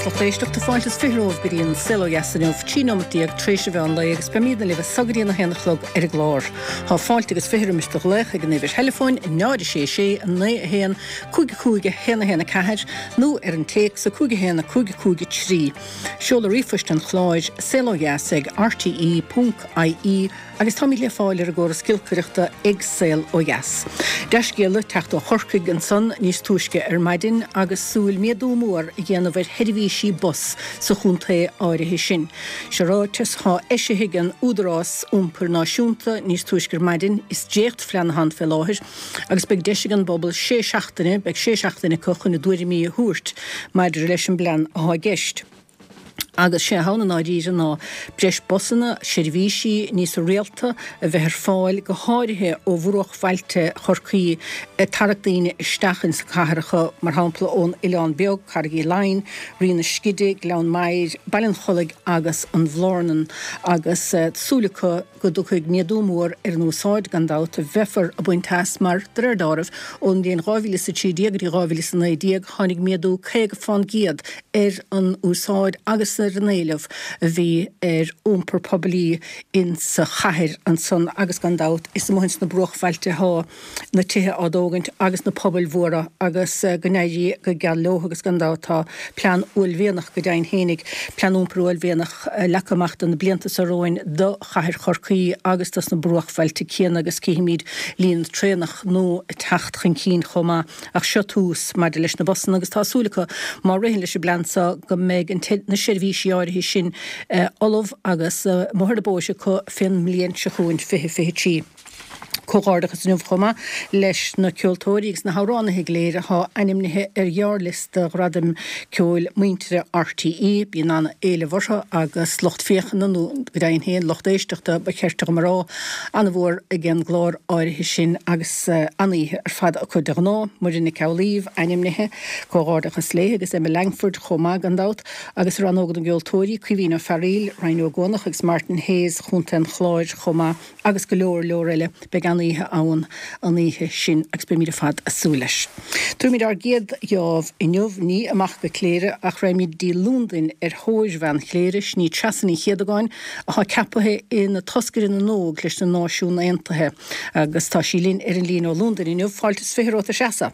Agus lucht éisteachta, fáilte is 20 romhaibh go dtí an Saol Ó Dheas inniu, 13 nóimeat tar éis an mheán lae agus beimidne libh as so go dtí an 1 a chlog ar an gclár. Tá fáilte agus 20 roimis do ghlaoch ag an uimhir theileafóin 0 6 6 9 1 5 5 1 1 4 nó ar an téacs 5 1 5 5 3. Seoladh ríomhphoist an chláir, saolodheas ag rte.ie. Agus táimid le fáil ar an gcóras giolcaireachta ag Saol Ó Dheas. Dea-scéala ag teacht ó Chorcaigh ansan níos túisce ar maidin agus súil méadú mór a dhéanamh ar sheirbhísí bus sa chontae áirithe sin. Seo ráiteas atá eisithe ag an Údarás Iompair Náisiúnta níos túisce ar maidin. Is dréachtphlean atá ann fé láthair agus beidh deis ag an bpobal sé seachtaine, beidh sé seachtaine acu chun a dtuairimí a thabhairt maidir leis an bplean atá i gceist. Agus sé atá ann i ndáiríre ná breis busanna, seirbhísí níos rialta a bheith ar fáil, go háirithe ó bhruachbhailte Chorcaí ag tarrac daoine isteach ins na cathracha, mar shampla ón Oileán Beag, Carraig Uí Leighin, Rí na Scide, Gleann Maghair, Baile an Chollaigh agus an Bhlárnan. Agus súil acu. go dtiocfaidh méadú mór ar an úsáid, gan dabht, a bheifear ag baint as, mar, de réir dealraimh, ón mbliain 2013 go dtí 2019, tháinig méadú 50 fán gcéad ar an úsáid agus ar an éileamh a bhí ar iompar poiblí insa chathair ansan agus, gan dabht, is amuigh ins na bruachbhailte atá na tithe á dtógaint agus na pobail mhóra agus go n-éirí go geal leo agus gan dabht tá plean uaillmhianach go deimhin fhéinig, plean iompair uaillmhianach leagtha amach do na blianta seo romhainn do chathair Chorcaí agus dos na bruachbhailte céanna agus cífimid líne traenach nua ag teacht chun cinn chomh maith ach seo tús maidir leis na busanna agus tá súil acu má ritheann leis an bplean seo go mbeidh na seirbhísí áirithe sin ullamh agus amuigh ar na bóithre acu fén mbliain seo chugainn 2023. Comhghairdeachas inniu chomh maith leis na ceoltóirí agus na hamhránaithe go léir atá ainmnithe ar ghearrliosta Ghradaim Ceoil Muintire RTÉ. Bíonn an-éileamh orthu agus lucht féachana, nó go deimhin féin lucht éisteachta ba chirte dhom a rá, an-mhór ag an gclár áirithe sin agus an-oíche ar fad acu de ghnáth. Muireann Nic Amhlaoibh ainmnithe, comhghairdeachas léi agus Emma Langford chomh maith gan dabht. Agus i rannóg na gceoltóirí, Caoimhín Ó Fearghaíl, Ryan Ó Guanach agus Martin Hayes Chontae an Chláir chomh maith. agus go leor leor eile. Beidh an-oíche ann an oíche sin agus beimid ar fad ag súil leis. Tabharfaimid ár gcéad gheábh inniu, ní amach go Cléire ach raghaimid dtí Londain ar thóir bhean Chléire, sin í Treasa Ní Chéadagáin atá ceapaithe ina toscaire na nÓg leis na Náisiún Aontaithe agus tá sí linn ar an líne ó Londain inniu. Fáilte is 20 romhat a Threasa.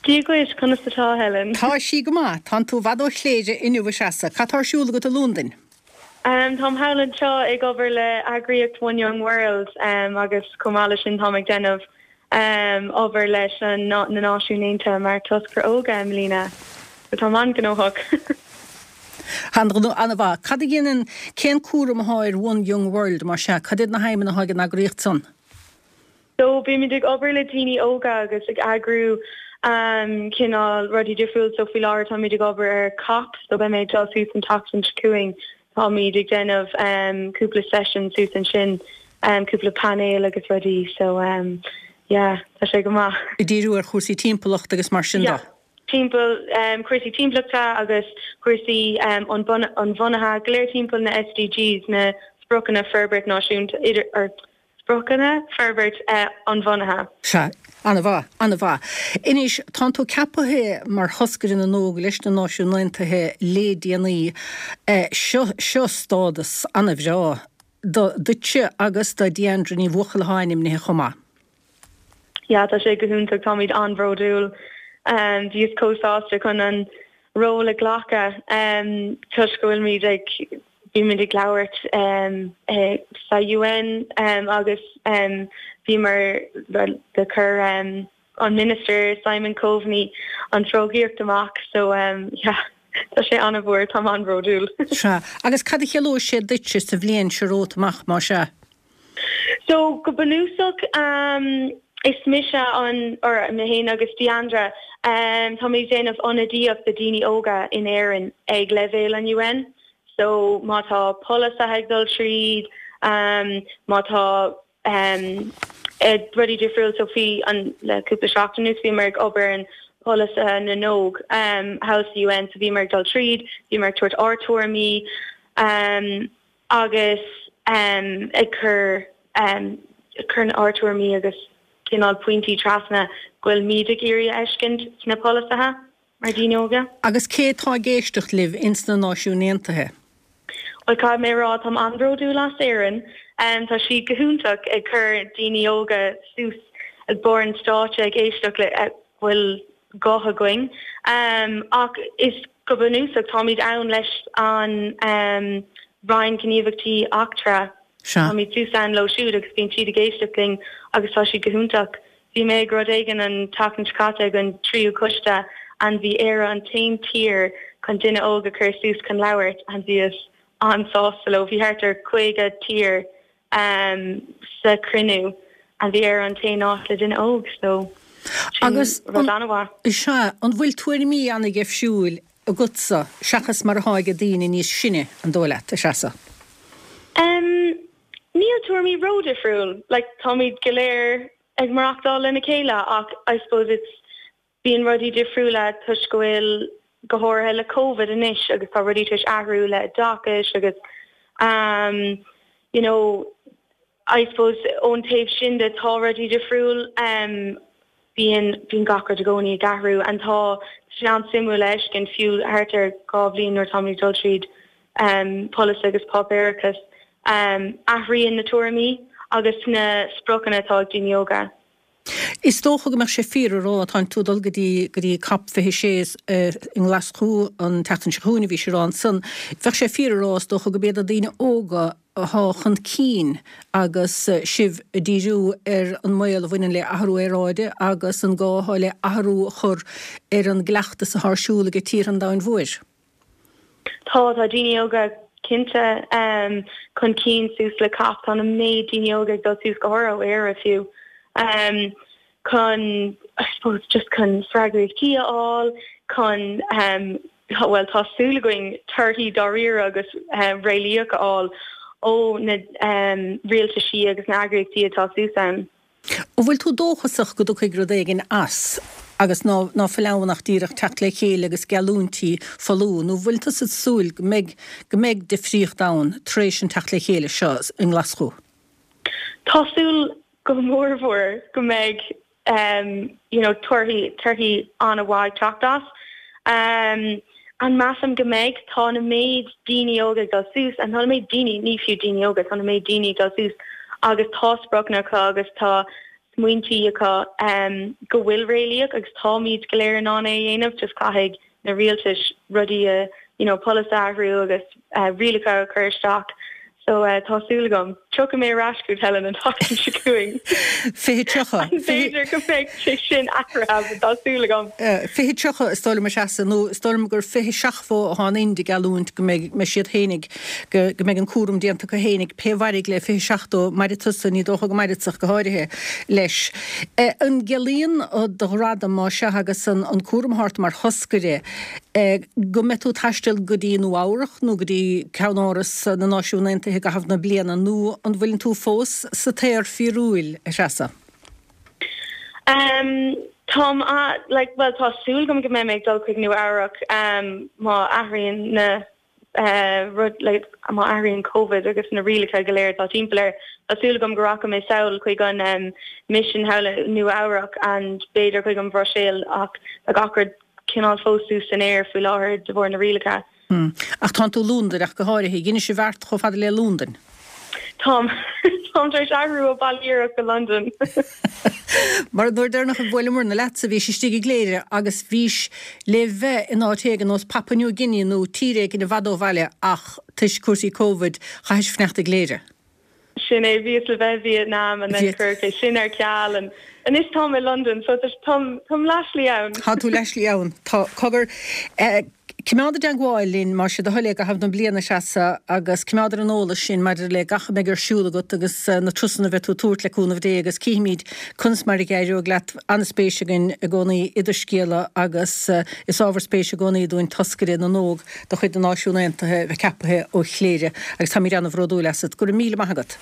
Dia dhuit, conas atá, Helen? Tá sí go maith. Tánn tú i bhfad ó Chléire inniu a Threasa. Cad tá ar siúl agat i Londain? Táim thall anseo ag obair le eagraíocht One Young World agus chomh maith leis sin táim ag déanamh obair leis na Náisiúin Aontaithe mar toscaire óga i mbliana. So táim an-ghnóthach. An-mhaith. Cad a dhéanann, cén cúram atá ar One Young World mar sea? Cad iad na haidhmeanna atá ag an eagraíocht san? So bímid ag obair le daoine óga agus ag eagrú cineál rudaí difriúil. So faoi láthair táimid ag obair ar COP, so beidh mé ag dul suas an tseachtain seo chugainn. Táimid ag déanamh cúpla session suas ansin, cúpla painéal agus rudaí. So yeah, tá sé go maith. Ag díriú ar chúrsaí timpeallachta agus mar sin de? Yeah, timpeall cúrsaí timpeallachta agus cúrsaí inbhuanaithe, go léir timpeall na SDGs, na Spriocanna Forbairt Náisiúnta, idir, or, Spriocanna Forbairt Inbhuanaithe. Sea. An-mhaith. An-mhaith. Anois, tánn tú ceapaithe mar thoscaire na nÓg leis na Náisiúin Aontaithe le déanaí. Seo, seo stádas an-bhreá do, duitse agus do Deandra Ní Bhuachalla atá ainmnithe chomh maith. Yeah, tá sé go hiontach. Táimid an-bhródúil. Bhíos chomh sásta chun an ról a ghlacadh toisc go bhfuilimid ag, bímid ag labhairt sa UN agus bhíomar do chuir an Minister Simon Coveney an fógraíocht amach so yeah tá sé an-mhór, táim an-bhródúil. Sea. Agus cad a chiallóidh sé duitse sa bhliain seo romhat amach, más ea? So go bunúsach is mise an, or mé féin agus Deandra, táimid ag déanamh ionadaíocht do daoine óga in Éirinn ag leibhéal an UN. So má tá polasaithe ag dul tríd, má tá rudaí difriúil, so faoi an, le cúpla seachtain anuas bhíomar ag obair ar an polasaithe na nÓg thall sa UN, so bhíomar ag dul tríd, bhíomar ag tabhairt ár tuairimí, agus ag cur cur ár tuairimí agus cineál pointí trasna go bhfuil muid ag iarraidh a fheiscint sna polasaithe. mar daoine óga. Agus cé atá ag éisteacht libh ins na Náisiúin Aontaithe? Bhuel, caithfidh mé a rá, táim an-bhródúil as Éirinn. Tá siad go hiontach ag cur daoine óga suas ag barr an stáitse ag éisteacht le go bhfuil guth againn. Ach is go bunúsach táimid ann leis an Roinn Gníomhaíochtaí Eachtracha. Táimid suas ann leo siúd agus bíonn siad ag éisteacht linn agus tá siad go hiontach. Bhí mé ag rud éigin an tseachtain seo caite ag an tríú coiste and bhí Éire an t-aon tír chun duine óg a chur suas chun labhairt and bhíos an-sásta leo. Bhí thart ar 50 tír sa chruinniú and bhí Éire an t-aon áit le duine óg so sin Agus rud an-mhaith. Sea, an bhfuil tuairimí an-dheifriúil agatsa seachas mar atá ag daoine níos sine, an dóigh leat, a Threasa? Níl tuairimí ródhifriúil, like táimid go léir ag maireachtáil lena chéile ach I suppose it's, bíonn rudaí difriúla toisc go bhfuil, go háirithe le Covid anois agus tá rudaí tar éis athrú le oideachais agus um you know I suppose ón taobh sin de tá rudaí difriúil um bíonn, bíonn gach rud i gcónaí ag athrú and tá sé an-suimiúil a fheiscint fiú thart ar 2 bhliain nuair táimid ag dul tríd um polasaithe agus páipéarachas um athraíonn na tuairimí agus na spriocanna atá ag daoine óga. Is dócha go mbeadh sé fíor a rá, tánn tú ag dul go dtí, go dtí Cop 26 i nGlaschú an tseachtain seo chugainn, a bhís ag rá ansan, bheadh sé fíor a rá, is dócha, gurb iad na daoine óga atá chun cinn agus sibh ag díriú ar an mbaol a bhaineann le athrú aeráide agus an gá atá le athrú a chur ar an gcleachtas atá ar siúl ag tíortha an domhain mhóir. Tá, tá daoine óga cinnte chun cinn suas le COP. Tá an méid daoine óga ag dul suas, go háirithe ó Éire fiú, chun, I suppose, just chun freagraíochtaí a fháil, chun, bhuel, tá súil againn torthaí dáiríre agus réalaíoch a fháil ó na rialtaisí agus na eagraíochtaí atá suas ann. An bhfuil tú dóchasach go dtiocfaidh rud éigin as agus ná ná fuil ann ach díreach teacht le chéile agus geallúintí folmha, nó bhfuil tusa ag súil go mbeidh go mbeidh difríocht ann tar éis an teacht le chéile seo i nGlaschú? Tá súil go mórmhór go mbeidh you know torthaí torthaí an-mhaith ag teacht as. An measaim go mbeidh? Tá na méid daoine óga ag dul suas, and tá na méid daoine, ní fiú daoine óga, tá na méid daoine ag dul suas agus tá spriocanna acu agus tá smaointí acu go bhfuil réalaíoch agus táimid go léir in ann é a dhéanamh, just caithfidh na rialtais rudaí a, you know, polasaithe a athrú agus rialacha a chur isteach. So tá súil agam. Tiocfaidh mé ar ais chugat Helen an tseachtain seo chugainn. 2030. B'fhéidir go mbeidh sé sin athraithe but tá súil agam. 2030 is dóigh liom a Threasa, nó is dóigh liom gur 2070 atá an Ind ag geallúint go mbeidh mbeidh siad fhéinig, go go mbeidh an cúram déanta acu fhéinig, pé mhairfidh le 2070, mairfidh tusa, ní dócha go mairfeadsa ach go háirithe, leis. An gciallaíonn do ghradam, más ea, agus an an cúram atá ort mar thoscaire, go mbeidh tú ag taisteal go dtí Nua Eabhrac nó go dtí ceannáras na Náisiún Aontaithe i gcaitheamh na bliana nó an bhfuileann tú fós sa t-aer fíorúil, a Threasa? Táim, like, bhuel tá súil agam go mbeidh mé ag dul chuig Nua Eabhrac má athraíonn na rud like má athraíonn Covid agus na rialacha go léir atá timpeall air, tá súil agam go rachaidh mé sall chuig an mission thall i Nua Eabhrac and b'fhéidir chuig an Bhruiséil ach tá gach rud cineál fós suas san aer faoi láthair de bharr na rialacha. Ach tánn tú i Londain ach go háirithe. Dheinis an bheart chomh fada le Londain. Táim. Táim tar éis athrú ó Baile Iarach go Londain. Mar an uair deireanach a bhuaileamarna leatsa bhís istigh i gCléire agus bhís le bheith in áit éigin nós Papua New Guinea nó tír éigin i bhfad ó bhaile ach toisc cúrsaí Covid chaithis fanacht i gCléire. Sin é, bhíos le bheith i Vietnam and then cuireadh é sin ar ceal and anois táim i Londain so táim táim leathshlí ann. Tá tú leathshlí ann. Tá, cogar. Coimeád i dteangmháil linn, más é do thoil é, i gcaitheamh na bliana, a Threasa, agus coimeád ar an eolas sinn maidir le gach a mbeidh ar siúl agat agus na turasanna a bheidh tú ag tabhairt le cúnamh Dé agus cífimid conas mar a d'éireoidh leat. An-spéis againn i gcónaí i do scéala agus is ábhar spéise i gcónaí dúinn toscaire na n-óg de chuid na Náisiún Aontaithe a bheith ceapaithe ó Chléire agus táimid an-bhródúil asat. Go raibh míle maith agat.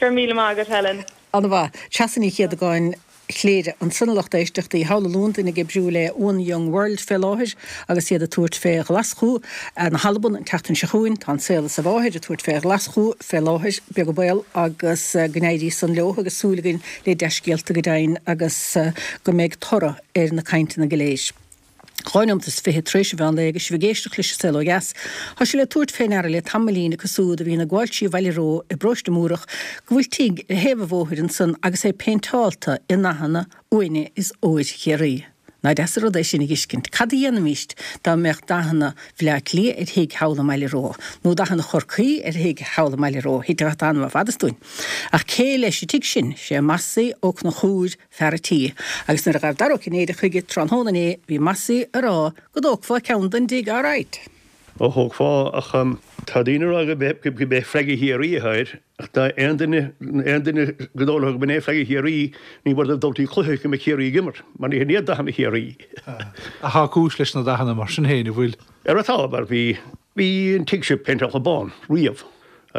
Go raibh míle maith agat, Helen. An-mhaith. Treasa Ní Chéadagáin. Chléire. Ansan a lucht éisteachta thall i Londain ag oibriú le One Young World fé láthair agus iad ag tabhairt fé Ghlaschú na hAlban an tseachtain seo chugainn. Tá An Saol is a Mháthair ag tabhairt fé Ghlaschú fé láthair, beag an baol agus go n-éirí san leo agus súil againn le dea-scéalta go deimhin agus go mbeidh toradh ar na cainteanna go léir. 2 nóimeat is 20 tar éis an mheán lae agus sibh ag éisteacht leis An Saol Ó Dheas. Tá sé le tabhairt fé ndeara le tamaillín acu súd a bhíonn ag gabháilt trí Bhaile Reo i bparóiste Múrach go bhfuil tigh ar thaobh an bhóthair ansan agus é péinteálta i ndathanna uaine is óir Chiarraí. Ná deas an rud é sin a dh'fheiscint. Cad a dhéanfaimíst dá mbeadh dathanna Bhaile Átha Cliath ar thigh thall i mBaile Reo, nó dathanna Chorcaí ar thigh thall i mBaile Reo? Thitfeadh an t-anam ar fad as dúinn. Ach cé leis an tigh sin? Sé Mossie Ó Conchúir fear a' tí, agus nuair a ghabh Dara Ó Cinnéide chuige tráthnóna inné bhí Mossie a rá go dtógfá ceann den dtigh alright. Ó thógfá, ach tá daoine a rá go b'é flag Chiarraí atá air, ach dá aon duine, aon duine go dóigh leo go b'in é flag Chiarraí, ní mór dóibh dul dtí cluiche go mbeidh Ciarraí ag imirt, mar ní hin iad dathanna Chiarraí. Ach tá cúis leis na dathanna mar sin féin, an bhfuil? Ara tá, mar bhí, bhí an tigh seo péinteálta bán, riamh.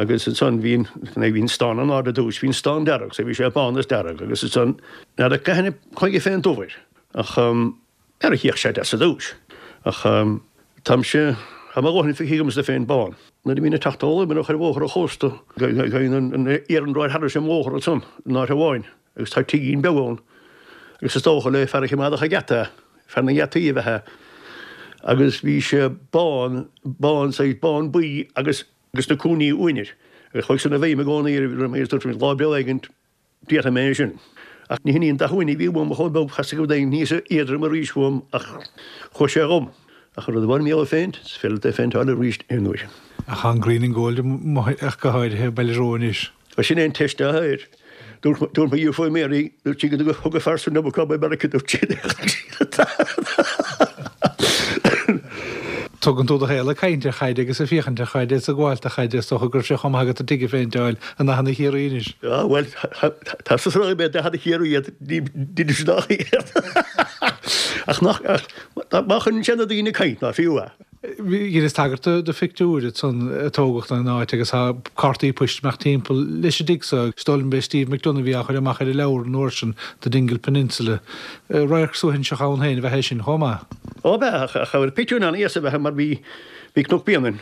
Agus ansan bhí an, bhí an stán in airde ar dtús, bhí an stán dearg, so bhí sé bán is dearg agus ansan, n'fheadar cathain a chuaigh fén dubh air, ach ara shuíodh sé deas ar dtús. Ach táimse, tá mo dhóthain feicthe agamsa fén bán. Nuair a bhínn ag teacht ó Luimneach ar bhóthar an chósta, gabhann an iarnród thairis an mbóthar ansan in áit amháin agus tá tigín beag ann agus is dócha le fear a choimeádfadh an geata, fear na ngeataí ab ea é. Agus bhí sé bán, bán, saghas bán buí agus, agus na cúinní uaine air. Agus chuaigh san i bhfeidhm i gcónaí orm agus dúirt mé lá breá éigint déarfaidh mé é sin. Ach ní hin í an dath uaine a bhí uaim chomh beag theastaigh rud éigin níos éadroime arís uaim ach chuaigh sé dhom. Ach an rud a bhain mé ó phéint, is féidir leat é a phéinteáil arís aon uair. Ach tá an green and gold amuigh ach go háirithe i Baile Reo anois. Bhuel sin é an teist atá air. Dúirt mo dheirfiúr Mary, dúirt sí go dtug a fear san liom go Meiriceá, dúirt sí. Tugann tú do shaol ag caint ar chaid agus ag féachaint ar chaid is ag gabháil do chaid, is dócha go raibh sé chomh maith agat an tigh a phéinteáil i ndathanna Chiarraí anois. Á, bhuel, tá sa sraith mé dathanna Chiarraí iad, ní deinim sin ach iad. Ach nach, ach, má chuireann sé na daoine ag caint, ná fiú é. Dheineas tagairt do phictiúir ansan a tógadh den áit agus tá cártaí poist amach timpeall leis an dtigh so. Is dóigh liom b'é Steve McDonagh a bhí á chur amach ar an leabhar an uair sin, The Dingle Peninsula. Radharc suaithinseach ann féin ab ea é sin chomh maith. Ó ab ea, ach cha raibh pictiúr in ann fhios a bheith mar bhí bhí Cnoc Bréanainn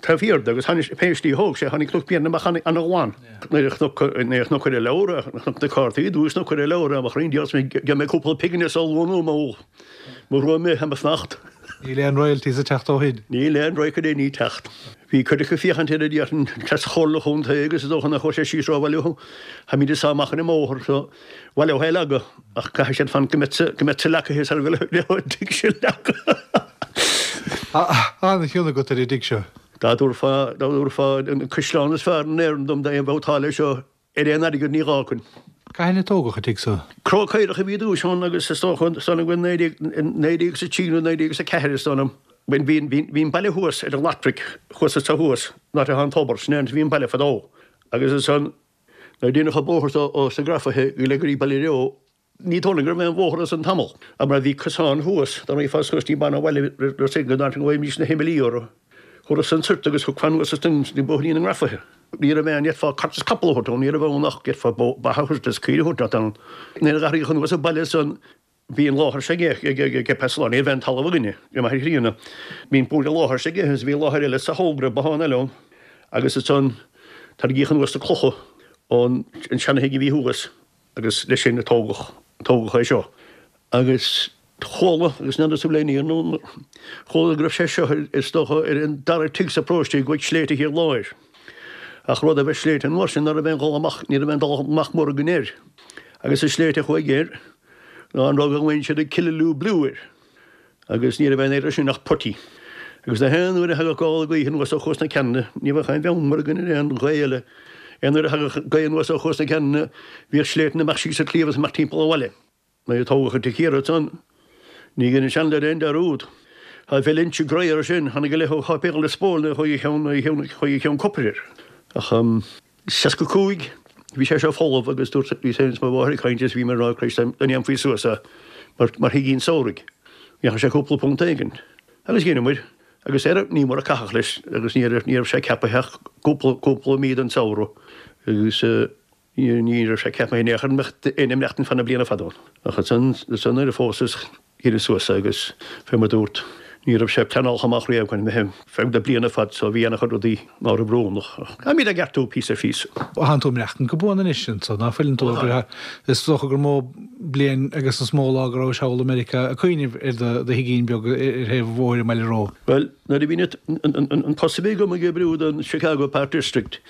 taobh thiar de agus tháinig pé slí a thóg sé tháinig Cnoc Bréanainn amach an-ghlan. Nuair a chonac nuair a chonac ar an leabhar, chonac na cártaí i dtús nó ar an leabhar amach roinnt díobh gheobhaidh mé cúpla pingin as a luanú mo Mo rua mé mo smacht. Níl aon royalties ag teacht ó shin. Níl aon royalty ag teacht. Bhí cuid acu féachaint air a déarfainn as Chomhairle Chontae agus is dócha nach raibh sé síos rómhaith leo. Táimid ag sá amach ar an mbóthar so bhail é a leagadh ach caithfidh siad fan go mbeidh go mbeidh sa leacaithe sar go leo an tigh sin leagtha. Tá an-chion agat ar an dtigh seo. Dá dtabharfá dá dtabharfá an caisleán is fearr in Éirinn dom dá bheadh táille seo Ar aon airgead ní dh'fhágfainn. Cathain a tógadh an tigh so? Cró caorach a bhí i dtús ann agus is dócha is dóigh liom go 1903 nó 1904 is dóigh liom. Bhí bhí an baile thuas ar an Lathraic thuas anso thuas, an áit atá an tobar, sin é an áit a bhí an baile fadó. Agus ansan nuair a deineadh an bóthar so ó sna Grafaithe go dtí Baile Reo, Ní dóigh liom go raibh aon bhóthar ansan tamall, ach mar bhí cosán thuas, dá mbeifeá suas ní b'ann abhaile le go dtáinig go bhfaighimís na himilí orthu. Thabharfadh san soirt agus thiocfá anuas ansan go bóithrín na nGrafaithe. Ní raibh aon, d'fhéadfá cairt is capall a thabhairt ann, ní raibh ann ach d'fhéadfá ba a thabhairt is caoire a thabhairt ann. Nuair a d'athraíodh anuas an baile ansan bhí an láthair seo aige ag Peasalán, ní raibh aon talamh againne, ag m'athair chríonna. Bhí an láthair seo aige agus bhí láthair eile sa Thógra, bothán eile ann agus ansan tarraingíodh anuas na clocha ón seana-thigh a bhí thuas. agus leis sin a tógadh, tógadh é seo. Agus chuala, agus n'fheadar an bhfuil aon fhíor nó, chuala go raibh sé seo is dócha ar an dara tigh sa bparóiste i gcuid sléibhte Thiar Láir. Ach rud a bheith sléibhte an uair sin ná raibh aon dhul amach, ní raibh aon dul amach mór againn air. Agus an sléibhte a chuaigh air ná an rud a ghlaonn siad an Killaloe Blue air. Agus ní raibh aon air sin ach putty. Agus na haon uair a thagadh gála gaoithe anuas ó Chuas na Ceanainne, ní bheadh aon bheann mór againn ar aon ghaoth eile, aon uair a thagadh gaoth anuas ó Chuas na Ceanainne, bhíodh sléibhte amach síos an sliabh is amach timpeall an bhaile. Nuair a tógadh an tigh thiar ansan, ní dhein an seanleaid aon dearúd. Tá Valentia Grey air sin, tháinig a leithéid ó Sháipéal Lios Póil nuair a chuaigh a cheann, nuair a chuaigh a cheann copair air. Ach. 65, Bhí sé seo folamh agus dúirt, bhíos féin is mo mháthair ag caint is bhí mé ag rá Christ dá ndéanfaí suas é mar, mar thigín samhraidh, gheobhadh sé cúpla punt éigin. Agus dheineamair agus ar, ní mór a caitheadh leis agus ní raibh, ní raibh sé ceapaithe ach cúpla, cúpla mí den samhradh agus ní, ní raibh sé ceapaithe in aon chor go mbeadh éinne ag maireachtaint fan na bliana fada ann. Ach ansan, ansan nuair a phósas, Dheineas suas é agus fé mar dúrt. Ní raibh sé pleanáilte amach riamh chun bheith feadh na bliana fad so bhí ana-chuid rudaí ná raibh oiriúnach. Ach táimid á gceartú píosa ar phíosa. Thánn tú ag maireachtaint go buan anois anso, ná fuileann tú? Abair, is dócha gur mó bliain agus is mó lá go rabhais thall i Meiriceá ag cuimhneamh ar do thigín beag ar thaobh an bhóthair i mBaile Reo. Bhuel, nuair a bhí an post a bhí agam ag oibriú don Chicago Park District,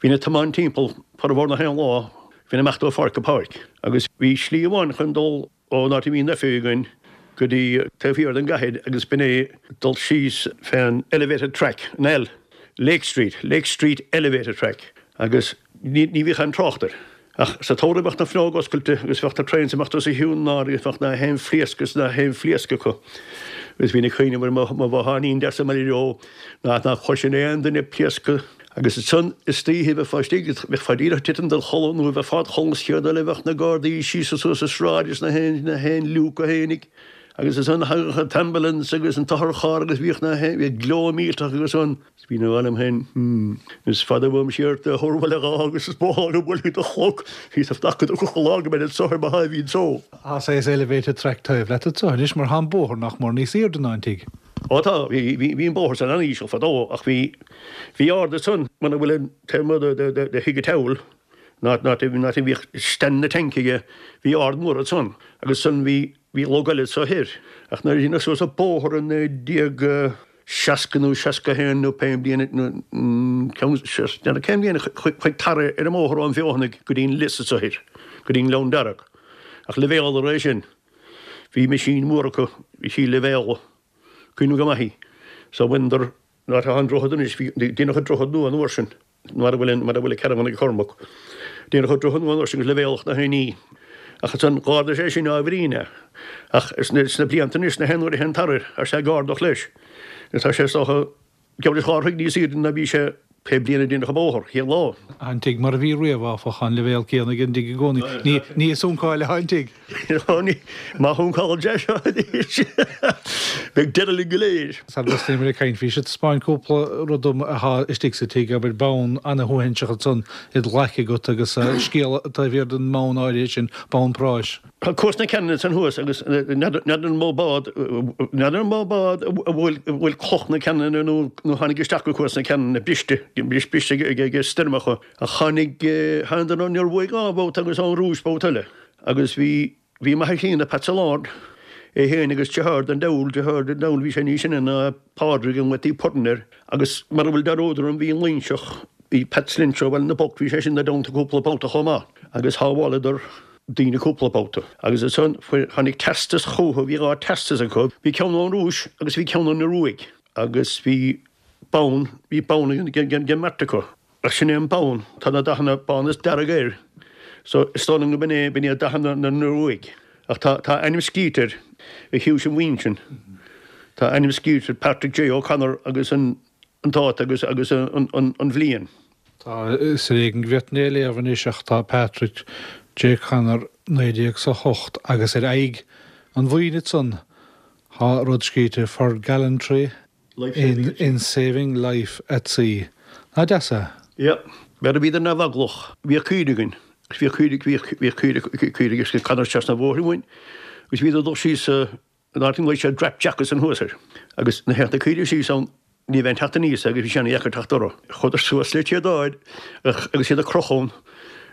bhínn ag tiomáint timpeall formhór na haon lá, bhínn ag imeacht ó pháirc go páirc. Agus bhí slí amháin chun dul ón áit a bhí an oifig againn go dtí taobh thiar den gcathair agus b'in é dul síos fén elevated track, an L, Lake Street, Lake Street Elevated Track, agus ní bhíodh aon trácht air. Ach sa tsamhradh bheadh na fuinneoga oscailte agus bheadh na trains ag imeacht os a chionn ná agus bheadh na haon phléasc is na haon phléasc acu. Agus bhínn ag cuimhneamh ar mo bhotháinín deas i mBaile Reo ná nach gcloisfinn aon duine ag pléascadh. Agus ansan istoíche bheifeá istigh, bheifeá díreach ag titim dod chodladh nó bheifeá id chodladh an chéad eile bheadh na gardaí síos is suas an sráid is na haon na haon liúc a tháinig. Agus ansan thagadh an t-ambulance agus an t-otharcharr agus bhíodh na haon, bhíodh gleo millteach agus an. Is bhínn ag rá liom féin, hmm, is fada uaim siar de Thuar Bhaile Átha agus is mó lá go mbuailfidh do chlog, bhíos ag fanacht go dtí lá go mbeinn anso ar mo sháimhín só. Tá saghas elevated track taobh leat anso anois mar tá an bóthar nach mór níos aoirde ná an tigh. Ó tá, bhí an bóthar san an-íseal fadó ach bhí, bhí ard ansan muna bhfuil an taobh amuigh de, de, de thigh an tSeabhail, an áit, an áit, an áit a bhíodh stand na tank aige, bhí ard mór ansan agus ansan bhí, bhí log eile anso thoir ach nuair a deineadh suas an bóthar i 1960 nó 61 nó pé bliain nó ceann, cén bhliain a chuaigh tarra ar an mbóthar ón bhFeothanaigh go dtí an lios anso thoir, go dtí an Gleann Dearg ach leibhéaladar é sin. Bhí meaisín mór acu, bhí sí leibhéaladh, cuimhním go maith í. So bhaineadar, an áit atá an droichead anois, bhí, déanadh an droichead nua an uair sin, mar a bhfuil an, mar a bhfuil an caravan ag Cormac. Déanadh an droichead nua an uair sin agus leibhéaladh na haon ní. Ach ansan dh'ardaigh sé sin ábhairín é. Ach sna blianta anois, na haon uair a théann tar air, tá sé ag ardach leis. Agus tá sé is dócha, Geall leis 2 throigh níos aoirde ná bhí sé pé bliain a déanadh an bóthar, chéad lá. An tigh mar a bhí riamh, áfach, an leibhéal céanna ag an dtigh i gcónaí. Ní ag suncáil atá an tigh. Má shuncálann sé seo anois, beidh deireadh linn go léir. Sara dtosnaíomar ag caint, bhís ag taispeáint cúpla rud dom atá istigh sa tigh, abair, bonn ana-shuaithinseach ansan id ghlaic agat agus scéal taobh thiar den mbonn áirithe sin, bonn práis. Tá Cuas na Ceanainne ansan thuas agus n'fheadar an mó bád, n'fheadar an mó bád a bhuail cloch na Ceanainne nó nó tháinig isteach go Cuas na Ceanainne briste, briste ag stoirmeacha. Ach tháinig, thánadar ón Ioruaidh dhá bhabhta agus ón Rúis babhta eile. Agus bhí, bhí m'athair críonna, Pat Sollard, é féin agus deartháir den diabhal, deartháir den diabhal, bhí sé níos sine ná Pádraig a nglaotaí Pudden air. Agus mara bhfuil dearúd orm bhí an Loingseach, bhí Pat Lynch ó Bhaile na bPoc, bhí sé sin ina dteannta cúpla babhta chomh maith. Agus shábháileadar. daoine cúpla babhta. Agus ansan fuair, tháinig teastas chúthu, bhí 2 teastas acu, bhí ceann ón Rúis agus bhí ceann ón Ioruaidh agus bhí bonn, bhí bonn ag an mbeirt acu. Ach sin é an bonn, tá na dathanna bán is dearg air so is dóigh liom go b'in é, b'in iad dathanna na nIoruaidh. Ach tá, tá ainm scríte air, a chiúis an bhoinn sin. Tá ainm scríte air, Patrick J O'Connor agus an, an dáta agus, agus an, an, an bhliain. Tá, is ar éigean go bhféadfainn é a léamh anois ach tá Patrick J Connor 19 's a 8 agus ar aghaidh an bhoinn ansan tá rud scríte For gallantry in in saving life at sea. Nach deas é? Yeah. Mar a bhíodar neamheaglach. Bhíodh caoirigh againn agus bhíodh caoirigh, bhíodh, bhíodh caoirigh, caoirigh ag cadhnach trasna an bhóthair uainn agus bhíodar ag dul síos sa, An áit a nglaoigh siad Drap Jack ansan thuas air. Agus nuair a théadh na caoirigh síos ann ní bheadh aon teacht aníos agus bhí sé ana-dheacair teacht orthu. Chuadar suas le téadáin agus iad ag crochadh ann,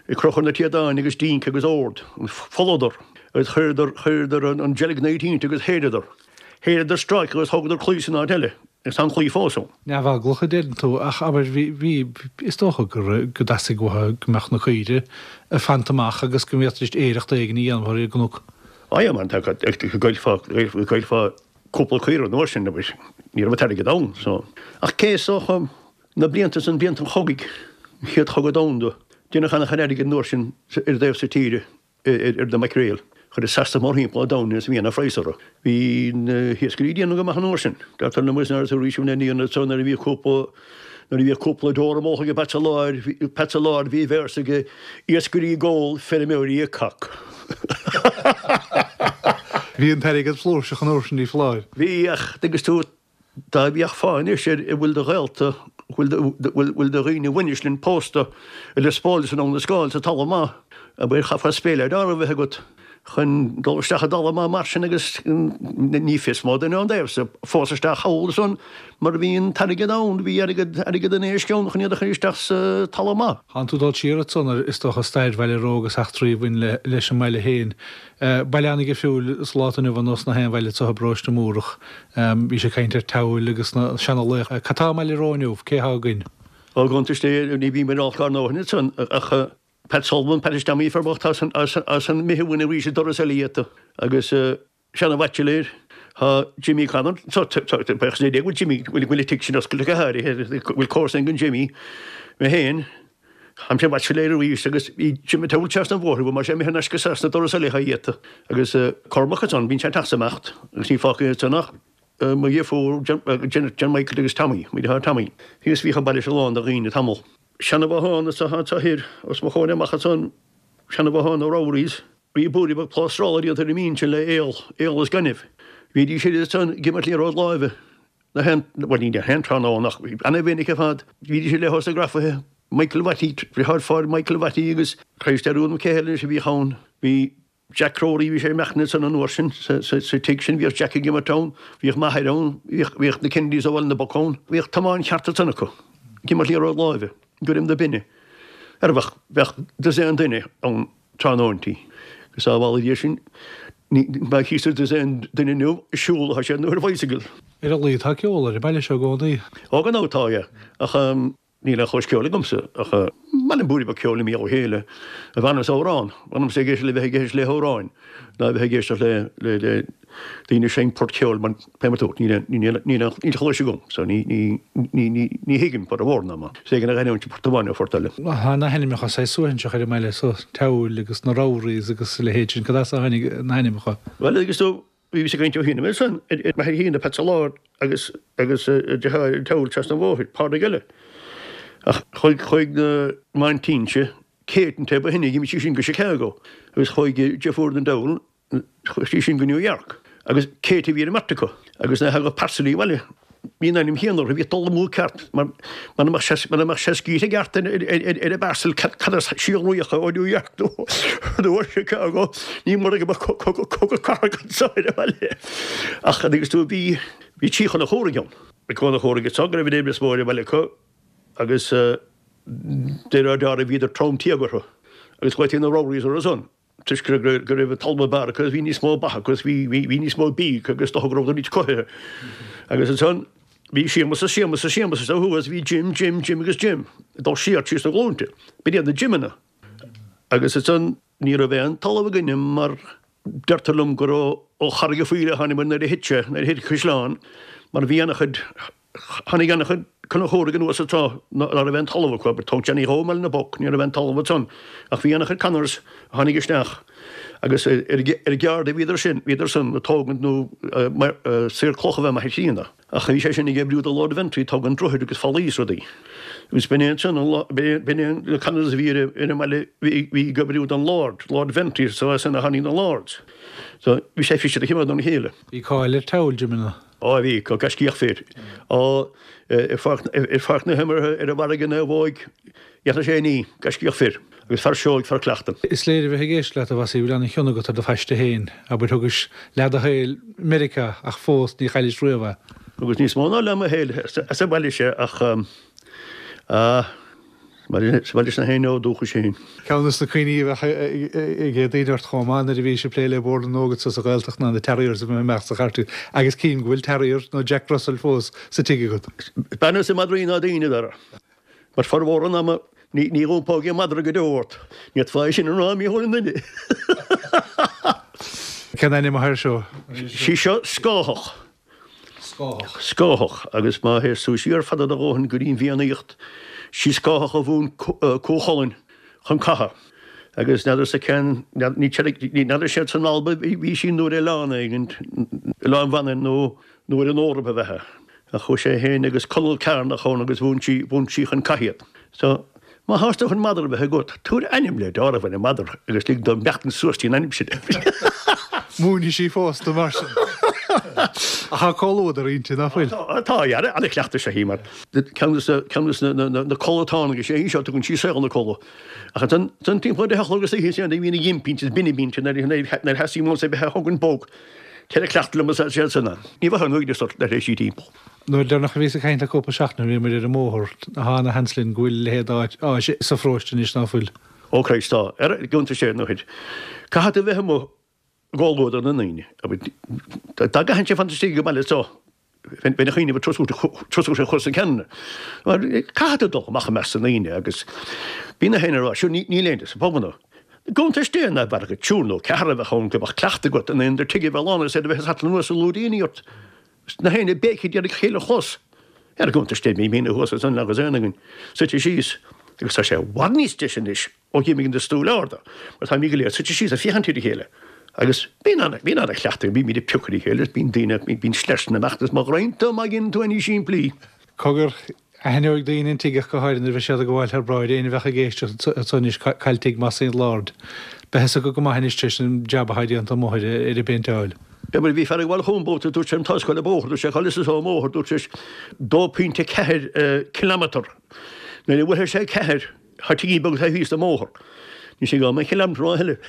ag crochadh na téadáin agus dínc agus ord. Pholladar agus chuireadar, chuireadar an gelignite inti agus shéideadar. Shéideadar stráice agus thógadar claí san áit eile agus tá an claí fós ann. Neamheaglach a deireann tú, ach abair, bhí, bhí, is dócha go raibh, go dteastaigh uathu go mbeadh na caoirigh ag fanacht amach agus go bhféadfaidís aoireacht éigin a dhéanamh ar an gcnoc. Á yeah man, tá go gcaillfeá, go gcaillfeá cúpla caora an uair sin, abair, ní raibh an t-airgead ann, so. Ach cé is dócha, na blianta san, blianta an chogaidh, an Chéad Chogadh Domhanda, deineadh an-chuid airgid an uair sin ar an dtaobh so tíre, ar na maicréil. Chuir Sasana mórthimpeall an domhain agus bhí ana-phraghas orthu. Bhí na hiascairí ag déanamh go maith an uair sin. Deirtear liom agus nuair a nuair a bhí cúpla, Nuair a bhíodh cúpla deoir amuigh ag Pat Sollard, Pat Sollard bhí véarsa aige, Iascairí ag ól, feirmeoirí ag cac. Bhí an t-airgead flúirseach an uair sin, ní foláir. Bhí, ach tuigeann tú, dá bhféachfá anois ar a bhfuil de ghaolta, bhfuil bhfuil de dhaoine bhainis linn pósta i Lios Póil is i nDún na Scáil sa talamh maith, abair, chaithfeá speallaire a bheith agat. chun dul isteach i dtalamh maith mar sin agus ní fios má duine ón dtaobh so fós isteach thall ansan mar bhí an t-airgead ann, bhí airgead, airgead an éisc ann chun iad a chur isteach sa talamh maith. Thánn tú ag dul siar ansan ar, is dócha, stair Bhaile Ró agus eachtraí a bhain le, leis an mbaile féin. Baile an-dhifriúil sa lá atá inniu ann nós na haon bhaile anseo i bparóiste Múrach. Bhís ag caint ar Teamhail agus na seana-laochra. Cad tá i mBaile Ró inniu? Cé thá againn? Ó, gcuntais Dé, ní bhím ar olc ár ndóthain ansan ach Pat Sullivan, Pat is Tommy fear bocht as an as an mBitheamhain arís i dturas eile iad agus seana-bhaitsiléir tá Jimmy Connor so bheadh sé go bhfuil Jimmy go bhfuil an tigh sin oscailte go háirithe go bhfuil comharsa ag an Jimmy mé féin táimse baitsiléir arís agus bhí Jimmy Towle trasna an bhóthair bhfuil mar sé imithe anois go Sasana dturas eile iad agus Cormac ansan bíonn sé ag teacht is ag imeacht agus ní fágtha ansan ach mo dheirfiúr Janet Michael agus Tommy mo dheartháir Tommy agus bhíodh an baile seo lán de dhaoine tamall. Seana-bhothán is atá anseo thoir, os mo chomhair amach ansan, seana-bhothán na Rowrys. Bhí blúirí beag plástrála déanta ar an mbinn sin le aol, aol is gaineamh. Bhídís siar ansan ag imirt liathróid láimhe na haon, bhuel ní na haon tráthnóna ach ana-mhinic ar fad. Bhídís ar leith os na grafaithe, Michael Watty, deartháir Michael Watty agus Christ ar úr cé eile anois a bhíodh ann. Bhí Jack Crowley, bhí sé ag imeacht ansan an uair sin sa tigh sin, bhíodh Jack ag imirt ann, bhíodh m'athair ann, bhíodh na Kennedys ó Bhaile na bPoc ann, bhíodh tiomáint cheart ansan acu, ag imirt liathróid láimhe, i gcoirm na binne. Ar bheadh, bheadh dosaen duine ann tráthnóintí. Agus sábhála Dia sinn, ní, má chítear dosaen duine inniu ag siúl atá siad nó ar bicycle. Ar a laghad tá ceol ar an mbaile seo i gcónaí. Ó gan dabht tá, yeah. Ach. Níl aon chluais ceoil agamsa ach maith liom blúirí beag ceoil i mbéal a chéile a bhfanann sa amhrán. Bhfanamsa ag éisteacht le bheith ag éisteacht le hamhráin ná a bheith ag éisteacht le le le daoine ag seinnt port ceoil mar pé mar tú níl aon níl aon níl aon níl chluais agam so ní ní ní ní ní thuigim port amhrán ná mar is éigean a ghairmiúint port amháin nó phort eile. Tá na hainmneacha saghas suaithinseach ar an mbaile so, Teamhail agus na Rowrys agus a leithéid sin, cad as a tháinig na hainmneacha? Bhuel agus tú Bhíos ag caint ó shin ansan ar m'athair féin, Pat Sollár agus agus a deartháir an tSeabhail trasna an bhóthair, Pádraig eile. Ach chuaigh chuaigh na m'aintín-se, Kate an té ba shine, d'imigh sí sin go Chicago agus chuaigh deirfiúr den diabhal, chuaigh sí sin go New York agus Kate a bhí ar an mbeirt acu agus nuair a thagadh parcel abhaile Bhí an ainm chéanna orthu, bhí dul amú ceart mar mura mbeadh sé mura mbeadh sé scríte i gceart ar ar an bparcel cad as síolraíocha ó New York nó nó ó Chicago ní mura go mbeadh cogadh cogadh cathartha anseo ar an bhaile. Ach agus tú bhí bhí Tí Chonchúraigh ann. Bhí Conchúraigh anseo go raibh an oibre is mó ar an bhaile acu agus de réir dealraimh bhíodar trom tíog orthu agus ghlaoití na Rowrys orthu san. toisc go raibh an talamh ab fhearr acu agus bhí níos mó ba acu agus bhí níos mó bídh acu agus dócha go rabhadar níos cothaithe. Agus ansan bhí Séamus is Séamus is Séamus is ó thuaidh bhí Jim, Jim, Jim agus Jim ag dul siar tríos na glúinte. B'in iad na Jimeanna. Agus ansan ní raibh aon talamh againne mar deirtear liom gur ó Charraig a' Phoill a tháinig nuair a thit sé, nuair a thit an caisleán mar bhí ana-chuid Tháinig an-chuid Conchúraigh anuas anseo ná raibh aon talamh acu, but tóg Johnny Dhó i mBaile na bPoc, ní raibh aon talamh ansan, ach bhí an-chuid Connors a tháinig isteach agus ar ar gceárd a bhíodar sin, bhíodar san ag tógaint nó saor cloch ab ea m'athair críonna, ach bhí sé sin ag oibriú do Lord Ventry ag tógaint droichid agus fallaí is rudaí. Agus b'in é ansan an lá, b'in é na Connors a bhí ar an mbaile bhí ag oibriú don Lord, Lord Ventry, so as sin a tháinig na Lords. So bhí sé fiche de chimeád óna chéile. Bhí cáil ar Teamhail, Jimeanna. Á bhí, go gaiscíoch fir. Á, ar pháirc na himeartha, ar an bhfarraige naomhóig, dhéanfadh sé ní, gaiscíoch fir, agus fear seoigh, fear cleachta. Is léir a bheith ag éisteacht leat, a Mhossie, go bhfuil an-chion agat ar do phaiste féin. Abair, thugais leath do shaoil i Meiriceá ach fós ní chaillis riamh é. Thugas níos mó ná leath mo shaoil sa bhaile seo ach, ah, Sa bhaile sin féin ó dúchais féin. Ceann de na cuimhní a bheadh ag daoine ort chomh maith nuair a bhís ag plé le Bord na nÓg anso sa Ghaeltacht ná na Terriers a bheith amach sa chartlann agus cím go bhfuil Terrier nó Jack Russell fós sa tigh agat. B'fhearr liomsa madraí ná daoine, Dara. Mar formhór an ama ní iompóidh an madra go deo ort. Ní fhéadfá é sin a rá i mícheál an duine. Cén ainm atá air seo? Sí seo Scáthach. Scáthach. Scáthach, agus má théas tú siar fada do dhóthain go dtí an bhFiannaíocht, sí Scáthach a mhúin Cú Chulainn chun catha. Agus n'fheadarsa cén, ní n'fheadar siad san Alba bhí sí nó ar oileán éigin, Oileán Mhanann nó nó ar an Eoraip ab ea. Ach chuaigh sé féin agus Conall Cearnach ann agus mhúin sí, mhúin sí chun catha iad. So, má thás tú chun madra a bheith agat, tabhair ainm le deáramh ar an madra agus lig dó imeachtaint suas dtí an ainm sin. Múinfidh sí fós tú mar sin. Ach tá comhluadar inti, ná fuil? Tá, yeah, ana-chleachtadh is ea í mar ceann de na codlatáin is é seo tugann sí saol na codladh. Ach ansan timpeall ar a deich a chlog istoíche is é bhíonn a ghin pínte is binne bínte nuair a theastaíonn uaimse a bheith á thógaint bog. Ceithre cleachtadh liom is é san ann. Ní bheadh an uaigneas ort nuair a théis sí timpeall. Nuair deireanach a bhíos ag caint le cúpla seachtain bhí muid ar an mbóthar, tá ana sheans linn go bhfuil a leithéid d'áis sa pharóiste anois ná fuil. Ó Christ tá, ar gcuntas sé nó thuit. Caithfidh tú bheith amuigh i gcomhluadar na ndaoine. Dá gcaithfinnse fanacht istigh ag an mbaile so, bheinn ag cuimhneamh ar tosú sé chur sa gceann. Mar caithfidh tú dul amach i measc na ndaoine agus bíonn na héinne ag rá, sure níl éinne sa bpubanna. I gcuntais Dé ná b'fhearr dhuit triúr nó ceathrar a bheith ann go mbeadh cleachtadh agat in aon tigh a bheith lán agus iad a bheith ag satlan anuas ag lúidíní ort. Na héinne ag béicigh d'iarraidh a chéile a chlos. Ar gcuntais Dé bhí míne thuas ansan agus aon againn suite síos agus tá sé i bhfad níos deise anois ó dh'imigh na stúil arda mar táimid go léir suite síos ag féachaint ar a chéile agus bíonn ana bíonn ana chleachtadh bímid ag piocadh ar a chéile bíonn daoine bíonn sleasanna ag imeacht is má ghraonn tú má dhéanann tú éinní simplí. Cogar, Aithneoidh daoine an tigh ach go háirithe nuair a bheidh siad ag gabháil thar bráid. Éinne a bheadh ag éisteacht anso anois cail tigh Mossie an Lord. Beidh fhios acu go maith anois tar éis an jab atá déanta amuigh ar an bpéinteáil. Bhí mar bhí fear ag gabháil chugam babhta dúirt sé an tá scoil an bóthar dúirt sé cá bhfuil fhios an bóthar dúirt sé 2.4 kilometre nuair a bhuailfidh sé 4 Tá tigín beag taobh thíos den mbóthar. Níl sé go mbeidh kilometre a thuilleadh.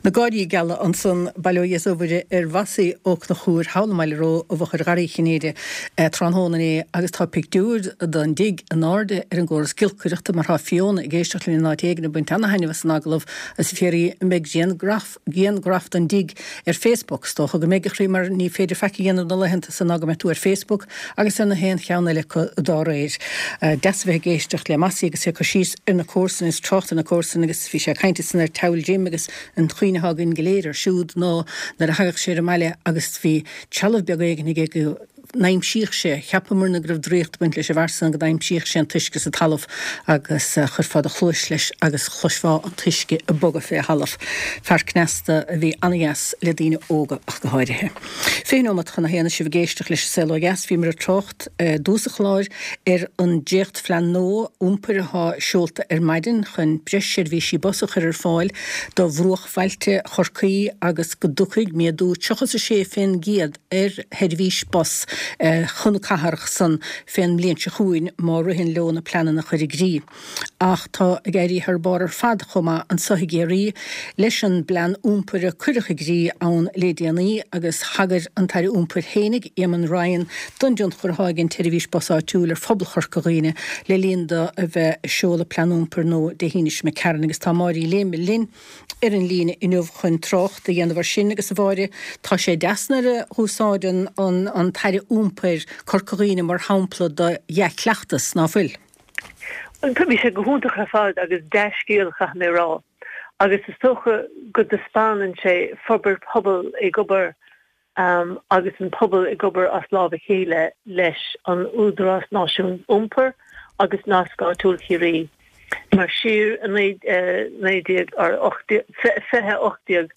Na gáirí geala ansan, bail ó Dhia is ó Mhuire ar Mhossie Ó Conchúir thall i mBaile Ró i bhfochair Gharraí Chinnéide tráthnóna inné agus tá pictiúr den dtigh in airde ar an gcóras giolcaireachta mar tá Fiona ag éisteacht linn in áit éigin ag baint ana-thaitneamh as an agallamh agus ag fiafraí an mbeidh grianghraf grianghraf den dtigh ar Facebook. Is dócha go mbeidh, a chroí, mar ní féidir faic a dhéanamh na laethanta so ná go mbeidh tú ar Facebook agus ar na haon cheann eile acu dá réir. Deas a bheith ag éisteacht le Mossie agus é ag cur síos ar na comharsana is trácht ar na comharsana agus bhí sé ag caint ansan ar Towel Jim agus an chuimhne atá againn go léir air siúd ná nuair a thagadh sé ar an mbaile agus bhí trealamh beag éigin aige go n-aimsíodh sé, cheapamarna go raibh draíocht ag baint leis an bhfear san, go n-aimsíodh sé an t-uisce sa talamh agus chuirfeá do chluais leis agus chloisfeá an t-uisce ag bogadh fé thalamh. Fear cneasta a bhí ana-dheas le daoine óga ach go háirithe. 20 nóimeat chun a haon is sibh ag éisteacht leis an Saol Ó Dheas. Bhíomar ag trácht i dtús an chláir ar an dréachtphlean nua iompair atá seolta ar maidin chun breis seirbhísí bus a chur ar fáil do bhruachbhailte Chorcaí agus go dtiocfaidh méadú 36 fén gcéad ar sheirbhís bus chun na cathrach san fén mbliain seo chugainn má ritheann leo na pleananna a chur i gcrích. Ach tá ag éirí thar barr ar fad chomh maith anso i gCiarraí leis an bplean iompair a cuireadh i gcrích ann lé déanaí agus thagair an tAire Iompair fhéinig, Éamon Ryan, don dtionchar atá ag an tseirbhís bus áitiúil ar phobal Chorca Dhuibhne le linn do a bheith ag seoladh plean iompair nua Dé hAoine seo imigh tharainn agus tá Máire Uí Léime linn ar an líne inniu chun trácht a dhéanamh ar sin agus a Mháire, tá sé deas nuair a úsáideann an tAire Iompair Corca Dhuibhne mar shampla do dhea-chleachtas, ná fuil? Bhí sé go hiontach ar fad agus dea-scéal, caithfidh mé a rá. Agus is dócha go dtaispeánann sé forbairt pobail ag obair agus an pobal ag obair as lámh a chéile leis an Údarás Náisiúnta Iompair agus Nasc Áitiúil Chiarraí. Mar siar i 2018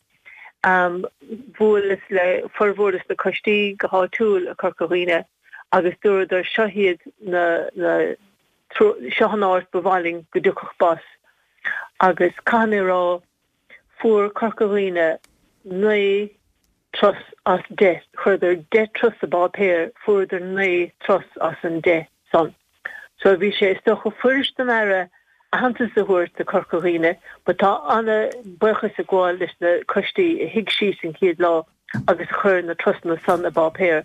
bhuaileas le formhór de na coistí go háitiúil i Corca Dhuibhne agus dúradar seo iad na seo an áit ba mhaith linn go dtiocfadh bus agus caithfidh mé a rá fuair Corca Dhuibhne 9 turas as 10. Chuireadar 10 turas i bpáipéar, fuaireadar 9 turas as an 10 san. So bhí sé is dócha fuirist don Aire aitheantas a thabhairt do Corca Dhuibhne but tá ana buíochas ag gabháil leis na coistí a shuigh síos an chéad lá agus a chuir na turasanna san i bpáipéar.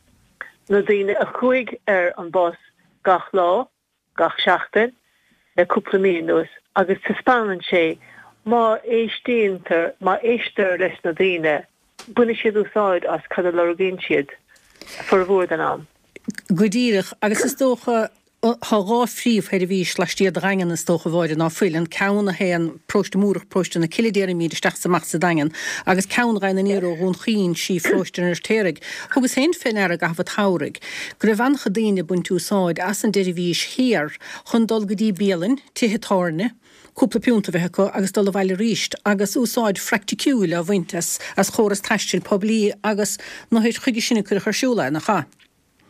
Na daoine a chuaigh ar an bus gach lá, gach seachtain le cúpla mí anuas agus taispeánann sé má éistíontar, má éistear leis na daoine, baineann siad úsáid as cad a lorgaíonn siad formhór den am. Go díreach, agus is dócha, tá dhá phríomhsheirbhís laistiar de Dhaingean is dócha, a Mháire, ná fuil, an ceann a théann Paróiste Múrach, Paróiste na Cille déarfaimid, isteach is amach sa Daingean, agus ceann a ghabhann aniar ó Dhún Chaoin sí Pharóiste an Fheirtéaraigh. Thugas féin fé ndeara i gcaitheamh an tsamhraidh go raibh an-chuid daoine ag baint úsáid as an tseirbhís thiar chun dul go dtí bialann, tithe tábhairne, cúpla piúnta a bheith acu agus dul abhaile arís agus úsáid phraiticiúil á bhaint as as chóras taistil poiblí agus na huair chuige sin a cuireadh ar siúl é, nach ea?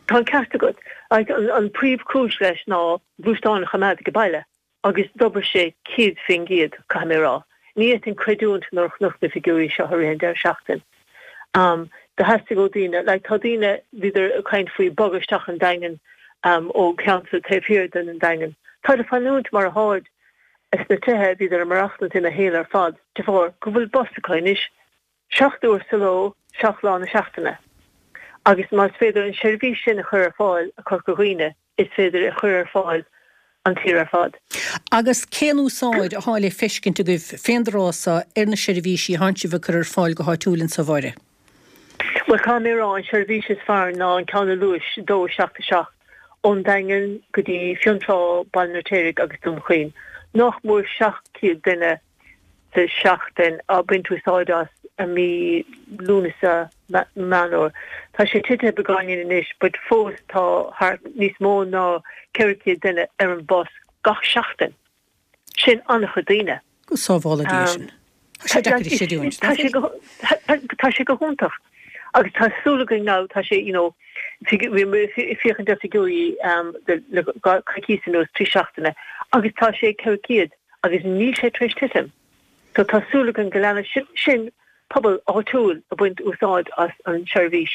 Tá an ceart agat. An príomhchúis leis ná gluaisteáin a choimeád ag baile. Agus d'obair sé 100%, caithfidh mé a rá. Ní fhéadfainn creidiúint nuair a chonac na figiúirí seo i rith an deireadh seachtain. Do theastaigh ó daoine, like tá daoine, bhíodar ag caint faoi bogadh isteach an Daingean ó cheantar taobh thiar den Daingean. Táid ag fanúint mar atháid sna tithe, bhíodar ag maireachtaint ina shaol ar fad de bharr go bhfuil bus acu anois. 7 uair sa ló, 7 lá na seachtaine. Agus más féidir an seirbhís sin a chur ar fáil i Corca Dhuibhne, is féidir é a chur ar fáil an tír ar fad. Agus cén úsáid athá le feiscint agaibh fén dtráth so ar na seirbhísí athánn sibh ag cur ar fáil go háitiúil anso, a Mháire? Bhuel, caithfidh mé a rá, an seirbhís is fearr ná an ceann a luais, 2 7 7, ón Daingean go dtí Fionntrá, Baile an Fheirtéaraigh agus Dún Chaoin. Nach mór 700 duine sa seachtain á baint úsáid as i mí Lúnasa, Meán Fhómhair. Tá sé titithe beagáinín anois but fós tá thart níos mó ná 400 duine ar an bus gach seachtain. Sin an-chuid daoine. Go sábhála Dia sinn. Tá sé deacair a chreidiúint, nach bhfuil? Tá sé go hiontach agus tá súil againn now tá sé you know bhí mé ag féachaint ar figiúirí le coicís anuas, 3 seachtaine agus tá sé 400. agus níl sé tar éis titim. So tá súil againn go leanfaidh sin, sin pobal áitiúil ag baint úsáid as an seirbhís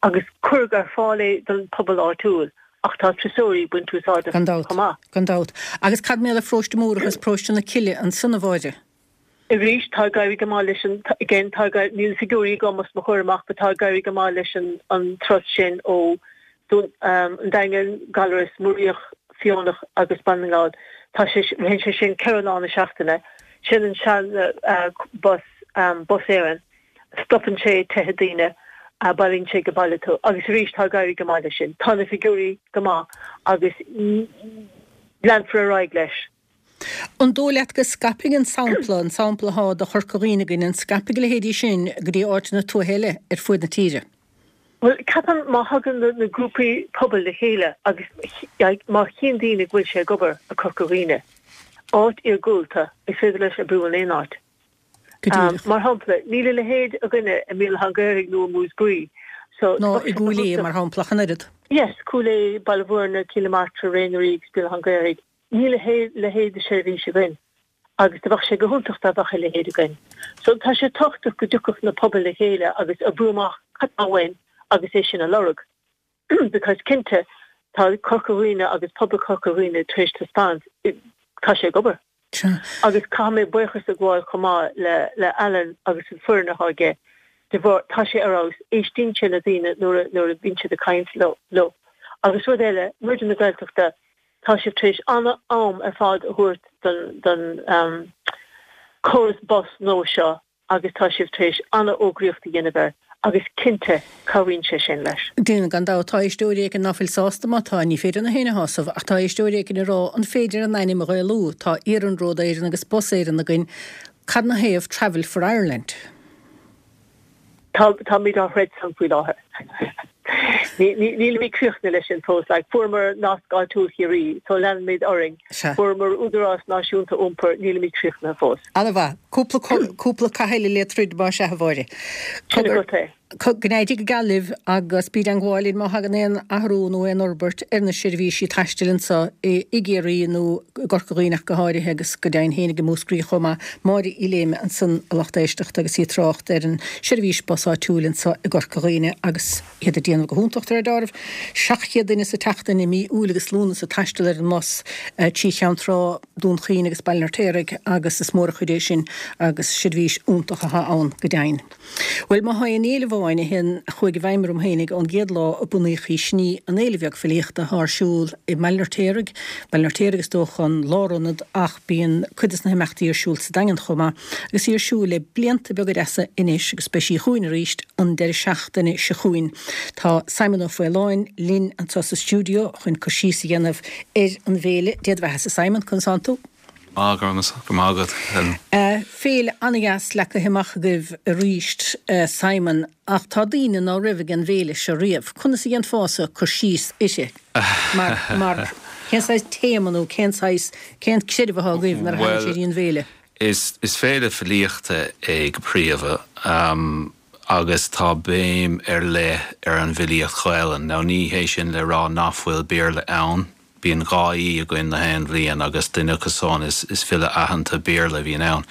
agus cuireadh ar fáil é don pobal áitiúil ach tá turasóirí ag baint úsáid as Gan dabht, chomh maith. gan dabht. Agus cad mar gheall ar Pharóiste Múrach agus Paróiste na Cille ansan a Mháire? Arís, tá ag éirí go maith leis an, again, tá ag, níl na figiúirí agam os mo chomhair amach but tá ag éirí go maith leis an, an turas sin ó Dún an Daingin, Gallarus, Muiríoch, Fíonach agus Baile na nGall. Tá sé, ritheann sé sin 4 lá na seachtaine. Sin an sean bus, Bus Éireann. Stopann sé tithe daoine, bailíonn sé go baile tú. Agus arís tá ag éirí go maith leis sin. Tá na figiúirí go maith agus leanfar ar aghaidh leis. An dóigh leat go scaipfidh an sampla, an sampla athá do Chorca Dhuibhne againn, an scaipfidh a leithéidí sin go dtí áiteanna tuaithe eile ar fuaid na tíre? Bhuel, ceapaim má thagann na grúpaí pobail le chéile agus má chíonn daoine go bhfuil sé ag obair i Corca Dhuibhne, áit iargúlta, is féidir leis oibriú in aon áit. Go díreach. Mar shampla, níl a leithéid againne i mBéal Átha an Ghaorthaidh nó i Múscraí. So, Nó i gCúil Aodha, mar shampla, ach an oiread. Yes, Cúil Aodha, Baile Bhuirne, Cill na Martra, Ré na Rí agus Béal Átha an Ghaorthaidh. Níl a leithéid de sheirbhís againn agus do bheadh sé go hiontach dá bheadh a leithéid againn. So tá sé tábhachtach go dtiocfadh na pobail le chéile agus oibriú amach cad tá uainn agus é sin a lorg. Because cinnte tá Corca Dhuibhne agus pobal Chorca Dhuibhne tar éis taispeáint tá sé ag obair. Agus caithfidh mé buíochas a ghabháil chomh maith le le Alan agus an foireann atá aige de bharr tá sé ar fheabhas, éistíonn sé le daoine nuair a nuair a bhíonn siad ag caint leo. Agus rud eile, Raidió na Gaeltachta, Tá sibh tar éis an-am ar fad a thabhairt don córas bus nua seo agus tá sibh tar éis an-fhógraíocht a dhéanamh air agus cinnte cabhraíonn sé sin leis. Déanann, gan dabht. Tá éisteoirí éigin ná fuil sásta, má tá, ní féidir na héinne a shásamh, ach tá éisteoirí éigin ag rá an féidir an ainm a Ghaelú, tá Iarnród Éireann agus Bus Éireann againn, cad 'na thaobh Travel for Ireland? Tá, táimid á throid san faoi láthair. Nílimid críochnaithe leis sin fós. Like, fuaireamar Nasc Áitiúil Chiarraí, so leanfaimid orainn. Sea. Fuaireamar Údarás Náisiúnta Iompair, nílimid críochnaithe fós. An-mhaith. Cúpla, cúpla cath eile le troid más ea, a Mháire. Sin agat é. Go n-éirí go geal libh agus bí i dteangmháil linn má thagann aon athrú nó aon fhorbairt ar na seirbhísí taistil anseo i gCiarraí nó i gCorca Dhuibhne ach go háirithe agus go deimhin féinig i Múscraí chomh maith. Máire Uí Léime ansan a lucht éisteachta agus í ag trácht ar an seirbhís bus áitiúil anseo i gCorca Dhuibhne agus iad ag déanamh go hiontach de réir deáraimh. 700 duine sa tseachtain i mí Iúil agus Lúnasa ag taisteal ar an mbus trí Cheann Trá, Dún Chaoin agus Baile an Fheirtéaraigh agus is mór an chuid é sin agus seirbhís iontach atá ann go deimhin. Bhuel, má thá aon fhéile amháin a théann, a chuaigh i bhfeidhm orm fhéinig ón gcéad lá a bunaíodh í, sin í an Fhéile Bheag Filíochta athá ar siúl i mBaile an Fheirtéaraigh. Baile an Fheirtéaraigh is dócha an lárionad ach bíonn cuid des na himeachtaí ar siúl sa Daingean chomh maith agus í ar siúl le blianta beaga deasa anois agus beidh sí chugainn arís an deireadh seachtaine seo chugainn. Tá Simon Ó Faoláin linn anseo sa stiúideo chun cur síos a dhéanamh ar an bhféile. Dé do bheathasa Simon, conas tánn tú? Maith, go raibh maith agat, Helen. Féile an-dheas leagtha amach agaibh arís, Simon, ach tá daoine ná raibh ag an bhféile seo riamh. Conas a dhéanfása cur síos uirthi? Mar, mar, cén saghas téama nó cén saghas, cén creideamh athá agaibh nuair a thagann sé dtí an bhféile? Is, is féile filíochta é go príomha, agus tá béim ar leith ar an bhfilíocht Ghaelainn. Now ní hé sin le rá nach bhfuil Béarla ann. Bíonn 2 aoi againn na haon bhliain agus duine acu san is file aitheanta Béarla a bhíonn ann.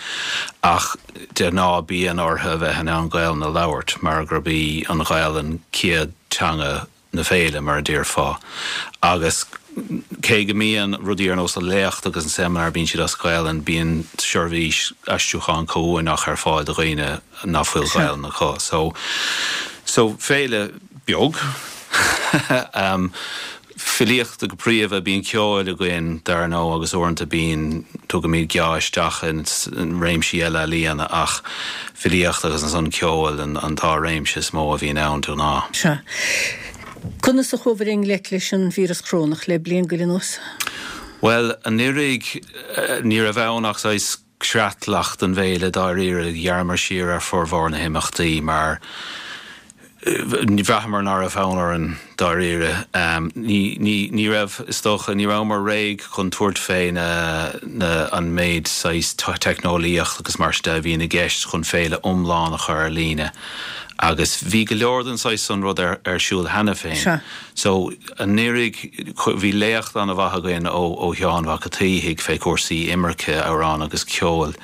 Ach de ghnáth bíonn orthu a bheith in ann Gaelainn a labhairt mar gurb í an Ghaelainn céad teanga na féile, mar a déarfá. Agus cé go mbíonn rudaí ar nós an léacht agus an seimineár, bíonn siad as Gaelainn, bíonn seirbhís aistriúcháin comhuaineach ar fáil do dhaoine ná fuil Gaelainn acu. So, so féile beag. Filíochta go príomha, bíonn ceol againn dar ndóigh agus uaireanta bíonn, tugaimid geá isteach ins réimsí eile ealaíona ach filíocht agus ansan ceol an dá réimse is mó a bhíonn ann de ghnáth. Sea. Conas a chuabhair i ngleic leis an víreas corónach le bliain go leith anuas? Bhuel, anuraidh ní raibh ann ach saghas creatlach don bhféile dáiríre. Ghearramar siar ar formhór na himeachtaí mar bhraitheamar ná raibh fonn orainn dáiríre. Ní raibh, is dócha, ní rabhamar réidh chun tabhairt fé na, na, an méid saghas teicneolaíocht agus mar sin de a bhíonn i gceist chun féile iomlán a chur ar líne. Agus bhí go leor den saghas san rud ar, ar siúl cheana féin. So, anuraidh, bhí léacht an-mhaith againn ó Sheán Mhac a' tSíthigh fé chúrsaí imirce, amhrán agus ceoil.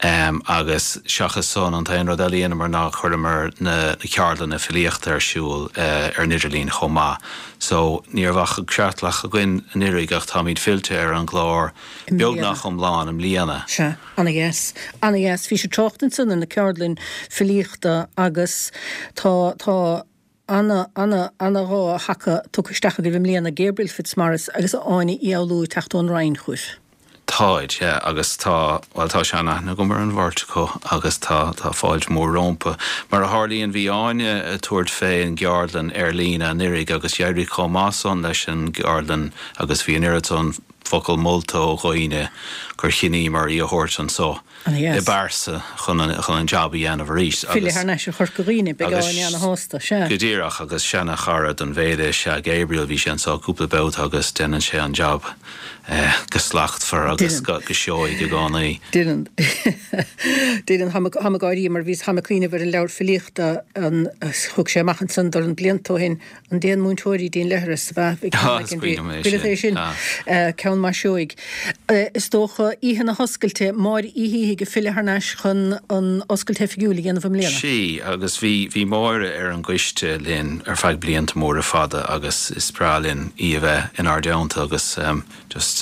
Agus seachas san, an t-aon rud eile a dheineamar ná chuireamar na ceardlanna filíochta ar siúl ar an idirlíon chomh maith. So, ní raibh ach an creatlach againn anuraidh ach táimid fillte ar an gclár beagnach iomlán i mbliana. Sea, ana-dheas. Ana-dheas. Bhís ag trácht ansan ar na ceardlainn filíochta agus tá, tá, Ana, ana, ana dhá thaca tugtha isteach agaibh i mbliana, Gabriel Fitzmaurice agus Áine Uí Fhoghlú ag teacht ón Rinn chugaibh. Táid, yeah, agus tá, bhuel tá sean-aithne agam ar an bheirt acu agus tá, tá fáilte mhór rómpa. Mar a tharlaíonn bhí Áine ag tabhairt fé an gceardlann ar líne anuraidh agus d'éirigh chomh maith san leis an gceardlann agus bhí an oiread san focal molta ó dhaoine gur chinníomar í a thabhairt anso. i bpearsa chun an jab a dhéanamh arís agus. Filleadh thar n-ais ar Chorca Dhuibhne, beidh Áine ana-shásta, sea. Go díreach, agus seana-chara don bhféile is ea Gabriel, bhí sé anso cúpla babhta agus déanann sé an jab go slachtmhar agus go seoigh i gcónaí. Déanann. Déanann. Táim ag gáirí mar bhíos, táim ag cuimhneamh ar an leabhar filíochta a thug sé amach ansan dorn blianta ó shin, An Déan Múinteoirí dtí'n Leithreas, ab ea? Ah, is cuimhin liom é sin. é sin. Ceann maith seoigh. Is dócha, oíche na hoscailte, Máire Uí Shíthigh ag filleadh thar n-ais chun an oscailt oifigiúil a dhéanamh i mbliana. Sea, agus bhí, bhí Máire ar an gcoiste linn ar feadh blianta móra fada agus is breá linn í a bheith inár dteannta agus Just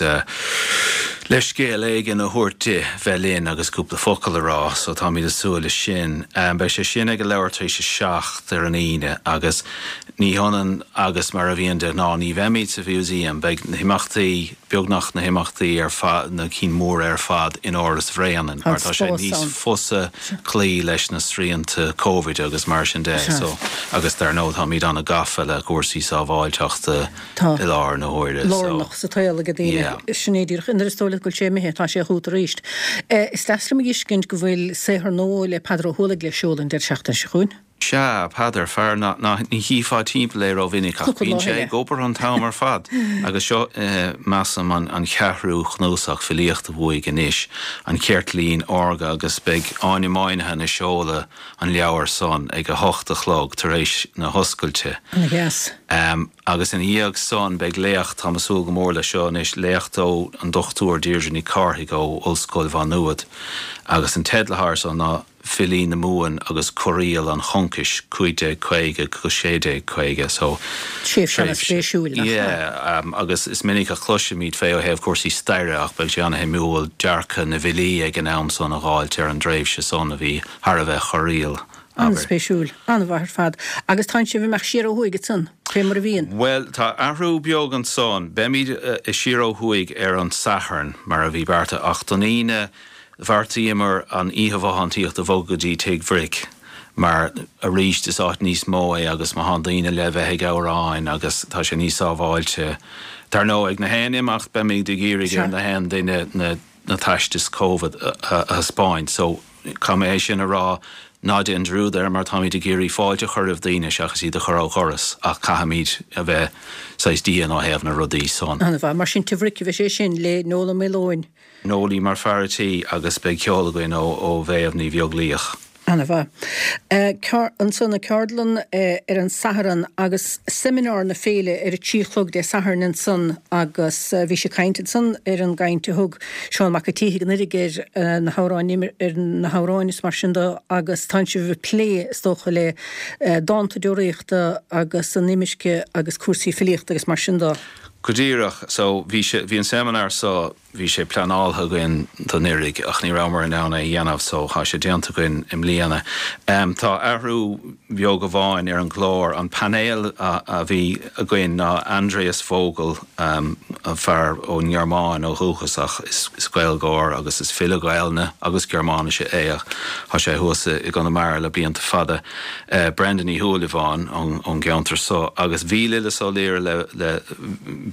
leithscéal éigin a thabhairt di bheith linn agus cúpla focal a rá, so táimid ag súil leis sin. Beidh sé sin ag a leathuair tar éis a 7 ar an Aoine agus ní hionann agus mar a bhíonn de ghnáth, ní bheimid sa Mhúsaem, beidh na himeachtaí, beagnach na himeachtaí ar fad, na cinn mhóra ar fad in Áras Bhréanainn mar tá sé níos fusa cloí leis na srianta Covid agus mar sin de, so agus dar ndóigh táimid an-gafa le cúrsaí sábháilteachta. Tá. i láthair na huaire so. Lárnach sa tsaol ag daoine. Yeah. Sin é díreach. Nuair is dóigh leat go bhfuil sé imithe, tá sé chugat arís. Is deas liom a fheiscint go bhfuil saothar nua le Peadar Ó hUallaigh le seoladh an deireadh seachtaine seo chugainn. Sea, Peadar, fear ná, ná, ní chífeá timpeall é rómhinic ach Cúpla bíonn lá sé eile. ag obair an t-am ar fad. Agus seo, measaim, an, an cheathrú chnuasach filíochta uaidh anois, An Ceirtlín Órga agus beidh Áine Moynihan ag seoladh an leabhar san ag a hocht a chlog tar éis na hoscailte. Ana-dheas. Agus ina dhiaidh san beidh léacht, táim ag súil go mór leis seo anois, léacht ó an Dr Deirdre Nic Cárthaigh ó Ollscoil Mhá Nuad agus an teideal atá air san ná Filí na Mumhan agus Corraíl an Choncais, 1550-1650 so Tréimhse an-spéisiúil, nach ea? Yeah, agus is minic a chloisimid fé ó thaobh cúrsaí staire ach beidh sé an-shuimiúil dearcadh na bhfilí ag an am san a dh'fháilt ar an dtréimhse san a bhí thar a bheith corraíl. abair. An-spéisiúil. An-mhaith ar fad. Agus tánn sibh ag imeacht siar ó thuaidh ansan, fé mar a bhíonn? Bhuel, tá athrú beag ansan. Beimid siar ó thuaidh ar an Satharn, mar a bhí beartaithe, ach don Aoine bheartaíomar an oíche bhothántaíochta a bhogadh go dtí Tigh Bhric, mar arís is áit níos mó é agus má thánn daoine le bheith ag amhráin agus tá sé níos sábháilte. Dar ndóigh, ag na haon imeacht beimid ag iarraidh ar na haon duine na na teastais Covid a thaispeáint so caithfidh mé é sin a rá, ná déan dearúd air mar táimid ag iarraidh fáilte a chur roimh daoine seachas iad a chur ó dhoras ach caithfimid a bheith saghas dian ó thaobh na rudaí san. An-mhaith. Mar sin Tigh Bhric a bheidh sé sin le Noel Ó Maoileoin. Noelie mar fear a' tí agus beidh ceol againn ó Mhéabh Ní Bheaglaoich. Ana-mhaith. Ansan an ceardlann ar an Satharn agus seimineár na féile ar a 3 a chlog Dé Sathairn ansan agus bhí sibh ag caint ansan ar an gcaint a thug Seán Mac an tSíthigh anuraidh ar na hamhráin ar na hamhráin is mar sin de agus tánn sibh ag plé is dócha le dánta deoraíochta agus an imirce agus cúrsaí filíochta agus mar sin de. Go díreach. So bhí sé, bhí an seimineár so, bhí sé pleanáilte againn d'anuraidh ach ní rabhamar in ann é a dhéanamh so tá sé déanta againn i mbliana. Tá athrú beag amháin ar an gclár. An painéal a bhí againn ná Andreas Vogel, fear ón nGearmáin ó dhúchas ach is Gaeilgeoir agus is file Gaelainne agus Gearmáinise é ach tá sé thuas i gConamara le blianta fada. Brendan Uí Shúilleabháin ón gceantar so agus bhí Lillis Ó Laoire le le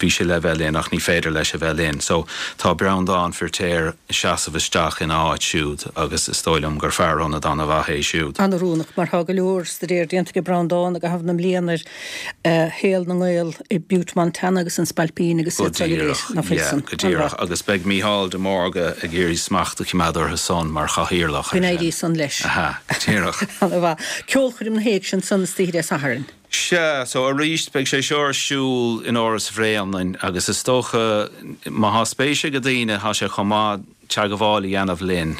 bhí sé le bheith linn ach ní féidir leis a bheith linn so tá Breandán Firtéar ag seasamh isteach ina áit siúd agus is dóigh liom gur fear ionaid ana-mhaith é siúd. An-oiriúnach mar tá go leor staidéir déanta ag Breandán i gcaitheamh na mblian ar shaol na nGael i Butte Montana agus an Spailpín agus Go iad seo go léir, díreach, ná fuil yeah, san? go díreach. Agus beidh Mícheál de Mórdha ag iarraidh smacht a choimeád orthu san mar chathaoirleach Go ar n-éirí sin. san leis. Aha, go díreach. Ana-mhaith. Ceolchoirm na hÉigse ansan istoíche Dé Sathairn. Sea, so arís beidh sé seo ar siúl in Áras Bhréanainn agus is dócha má thá spéis ag daoine thá sé chomh maith teagmháil a dhéanamh linn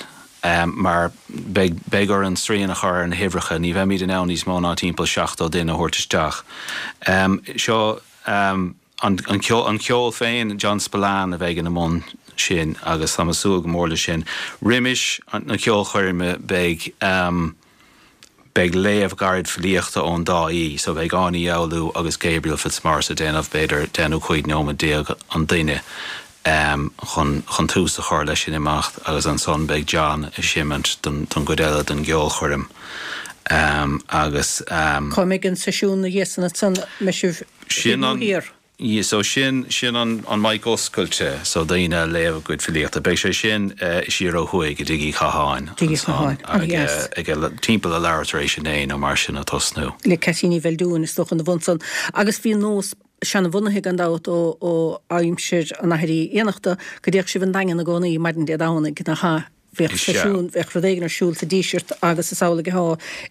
mar beidh, beidh orainn srian a chur ar na huimhreacha, ní bheimid in ann níos mó ná timpeall 70 duine a thabhairt isteach. Seo an, an ceol, an ceol féin, John Spillane a bheidh ina mbun sin agus táim ag súil go mór leis sin. Roimis na ceolchoirme beidh, Beidh léamh gairid filíochta ón dá aoi, so beidh Áine Ní Fhoghlú agus Gabriel Fitzmaurice ag déanamh b'fhéidir 10 nó 15 nóiméad an duine chun chun tús a chur leis an imeacht agus ansan beidh John ag seimint don don gcuid eile den gceolchoirm agus. Cá mbeidh an seisiún ina dhiaidh san ansan, mbeidh sibh thiar nó thiar? So sin, sin an, an mic oscailte, so daoine a léamh a gcuid filíochta. Beidh sé sin siar ó thuaidh i dTigh Uí Chatháin Tigh Uí Chatháin, an-dheas. Ag, ag, timpeall a leathuair tar éis a naoi nó mar sin ag tosnú. Le Ceaití Ní Bheildiúin is dócha ina bhun san. Agus bhí nós seanabhunaithe gan dabht ó, ó aimsir an Athair Uí Fhiannachta go dtéadh sibh an Daingean i gcónaí maidin Dé Domhnaigh, nach ea? Bheadh seisiún, bheadh rud éigin ar siúl sa Díseart agus is amhlaidh atá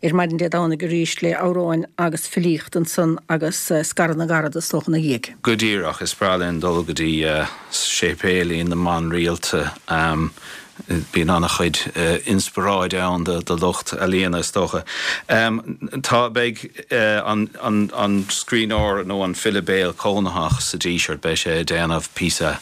ar maidin Dé Domhnaigh arís le amhráin agus filíocht ansan agus scaradh na gcarad is dócha ina dhiaidh. Go díreach, is breá linn dul go dtí séipéilín na mban rialta. Bíonn an-chuid inspioráid ann do lucht ealaíona is dócha. Tá, beidh an scríbhneoir nó an file béil cónaitheach sa Díseart, beidh sé ag déanamh píosa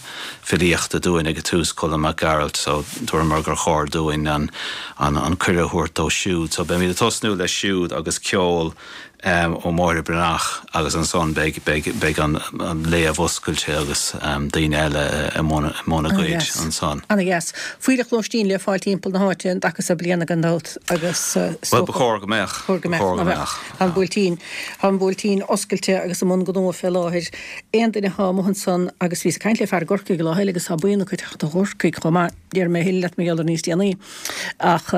filíochta dúinn ag an tús, Colm Mac Gearailt, so dúramar gur chóir dúinn an an cuireadh a thabhairt dó siúd. So beimid ag tosnú leis siúd agus ceol ó Mháire Breathnach agus ansan beidh beidh beidh an an léamh oscailte agus daoine eile i mbun i mbun a gcuid ansan. Ana-dheas. Fuílleach lóistín le fáil timpeall na háite an dtaca so bliana gan dabht agus is Bhuel ba chóir go mbeadh. Chóir go mbeadh, ná beadh. Tá an Buailtín tá an Buailtín oscailte agus i mbun gnó fé láthair. Aon duine atá amuigh ansan agus bhíos ag caint le fear i gCorcaigh lá eile agus tá buíon acu ag teacht ó Chorcaigh chomh maith, déarfaidh mé a thuilleadh leat mar gheall air níos déanaí, ach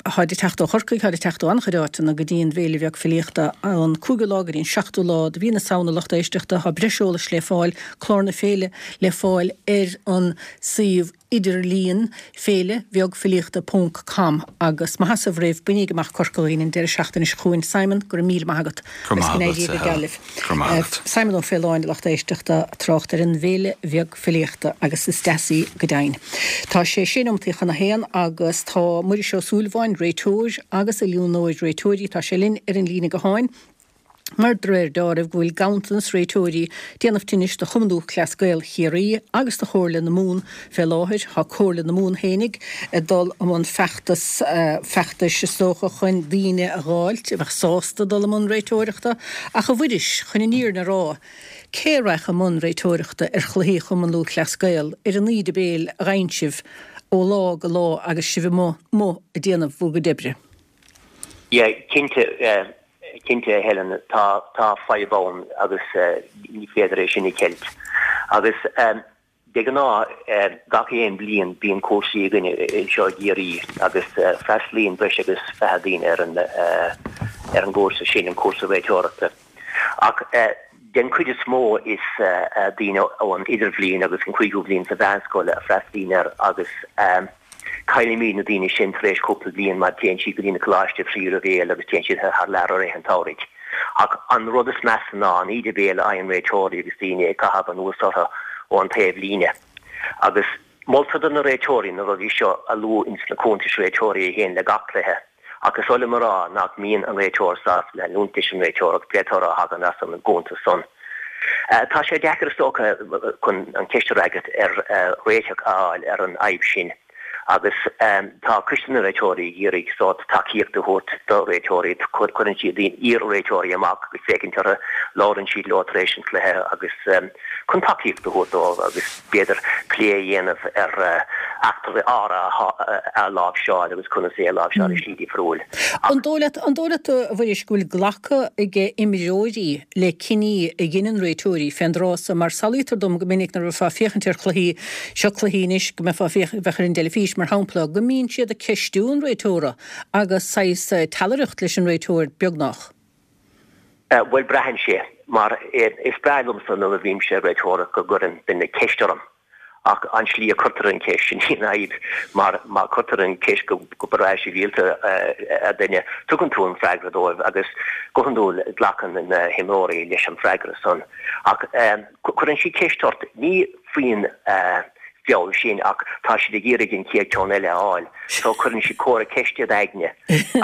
táid ag teacht ó Chorcaigh, táid ag teacht ó an-chuid áiteanna go dtí an bhFéile Bheag Filíochta ón 5ú lá go dtí an 7ú lá de mhí na Samhna lucht éisteachta, tá breis eolais le fáil, clár na féile le fáil ar an suíomh. idirlíon, féile bheag filíochta ponc com agus má sheasamh roimh, bainíg amach Corca Dhuibhne an deireadh seachtaine seo chugainn. Simon, go raibh míle maith agat. Go raibh maith agat, a Helen. Go raibh maith agat. Simon Ó Faoláin, a lucht éisteachta, ag trácht ar an bhFéile Bheag Filíochta agus is deas í go deimhin. Tá sé sé nóimeataí chun a haon agus tá Muiris Ó Súilleabháin, réiteoir agus oiliúnóir réiteoirí, tá sé linn ar an líne gutháin. Mar de réir deáraimh go bhfuil ganntanas réiteoirí ag déanamh tinnis do Chumann Lúthchleas Gael Chiarraí agus do Chomhairle na Mumhan fé láthair. Tá Comhairle na Mumhan fhéinig ag dul i mbun feachtas, feachtais is dócha chun daoine a dh'fháilt a bheadh sásta dul i mbun réiteoireachta. Ach a Mhuiris, chun an fhírinne a rá, cé a raghadh i mbun réiteoireachta ar chluichí Chumann Lúthchleas Gael ar an íde béil a gheibheann sibh ó lá go lá agus sibh amuigh amuigh ag déanamh bhur gcuid oibre? Yeah, cinnte, cinnte a Helen, tá, tá fadhb ann agus ní féidir é sin a cheilt. Agus de ghnáth, gach aon bhliain bíonn cúrsaí againn anseo i gCiarraí agus freastalaíonn breis agus 20 daoine ar an, ar an gcúrsa sin, an cúrsa réiteoireachta. Ach den chuid is mó is daoine ón idirbhliain agus an cúigiú bhliain sa mheánscoil a freastalaíonn air agus. Caillimid na daoine sin tar éis cúpla bliain mar téann siad go dtí na coláiste tríú leibhéal agus téann siad thar lear i rith an tsamhraidh. Ach an rud is measa ná an íde béil a fhaigheann réiteoirí agus daoine ag caitheamh anuas orthu ón taobh líne. Agus moltar do na réiteoirí na rudaí seo a lua ins na cuntais réiteoirí a théann le gach cluiche. Ach is oth liom a rá nach mbíonn an réiteoir sásta leanúint leis an réiteoireacht pé toradh a thagann as an gcuntas san. Tá sé deacair is dócha chun an cheist a fhreagairt ar réiteach a fháil ar an fhadhb sin agus tá Coiste na Réiteoirí ag iarraidh sórt tacaíocht a thabhairt do réiteoirí. Cuireann siad iar-réiteoirí amach agus féachaint orthu, labhrann siad leo tar éis an chluiche agus chun tacaíocht a thabhairt dóibh agus b'fhéidir plé a dhéanamh ar eachtraí áirithe a láimhseáil agus conas é a láimhseáil i slí difriúil. An dóigh leat, an dóigh leat, a Mhuiris, go bhfuil glacadh ag imreoirí le cinní a dheineann réiteoirí fén dtráth so, mar samhlaítear dom go minic nuair a bheifeá ag féachaint ar chluichí, seo cluichí anois go mbeifeá ag féachaint, bheadh ar an dteilifís, mar shampla, go mbíonn siad ag ceistiú an réiteora agus saghas teallaireacht leis an réiteoir beagnach. Bhuel, braitheann sé, mar is breá liomsa nuair a bhímse ag réiteoireacht go gcuireann duine ceist orm. Ach an slí a cuirtear an cheist, sin í an fhadhb, mar má cuirtear an cheist go breá sibhialta ar duine, tugann tú an freagra dóibh agus go hiondúil glacann na himreoirí leis an freagra san. Ach cuireann siad ceist ort, ní faoin bhfeall sin ach tá siad ag iarraidh an chéad ceann eile a fháil so cuireann siad comhartha ceiste i d'aigne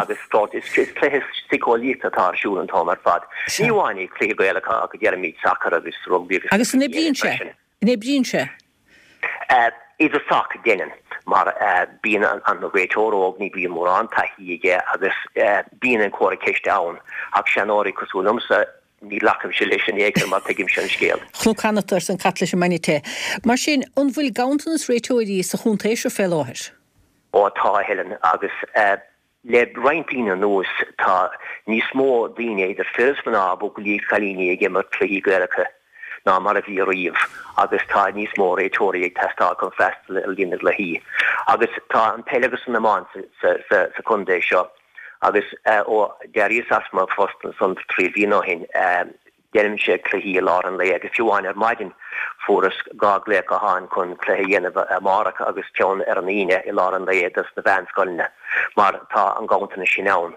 agus is cluiche síceolaíochta atá ar siúl an t-am ar fad. Ní amháin i cluichí Gaelacha ach deirimid sacar agus rugbaí agus Agus an oibríonn sé? An oibríonn sé? I dtosach, déanann, mar bíonn an réiteoir óg, ní bhíonn mórán taithí aige agus bíonn an comhartha ceiste ann. Ach seanóirí cosúil liomsa, ní ghlacaimse leis in aon chor mar tuigimse an scéal. Chonac cheana, arsa an cat leis an mbainne te. Mar sin, an bhfuil ganntanas réiteoirí sa chontae seo fé láthair? Ó tá, a Helen, agus Le roinnt bliana anuas tá níos mó daoine, idir fir is mná, buachaillí agus cailíní, ag imirt cluichí Gaelacha ná mar a bhí ariamh agus tá níos mó réiteoirí ag teastáil chun freastal ar líon na gcluichí. Agus tá an peil agus an iomáint sa chontae seo agus ó d'éiríos as mo phost ansan trí bhliana ó shin, Déanaimse cluichí i lár an lae agus fiú amháin ar maidin fuaireas 2 glaoch gutháin chun cluiche a dhéanamh amárach agus ceann ar an Aoine i lár an lae dos na mheánscoileanna mar tá an ganntanas sin ann.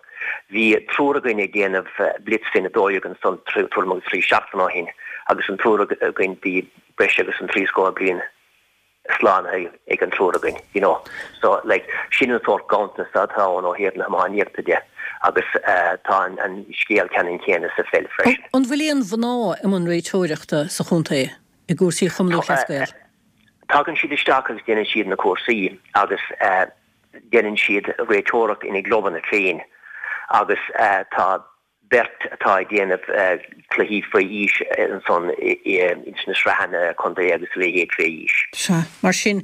Bhí triúr againn ag déanamh blitz faoin 12 ansan tuairim agus trí seachtain ó shin agus an triúr againn bhí breis agus an trí scór bliain slánaithe ag an triúr againn, you know. So, like, sin an sórt ganntanas atá ann ó thaobh na hiománaíochta de agus tá an scéal ceannann céanna sa pheil freisin. An bhfuil aon mhná i mbun réiteoireachta sa chontae i gcúrsaí Chumann Lúthchleas Gael? Tagann siad isteach agus déanann siad na cúrsaí agus déanann siad réiteoireacht ina gclubanna féin agus tá beirt atá ag déanamh cluichí faoi aois ansan ins na sraitheanna contae agus a leithéid fé aois. Sea, mar sin,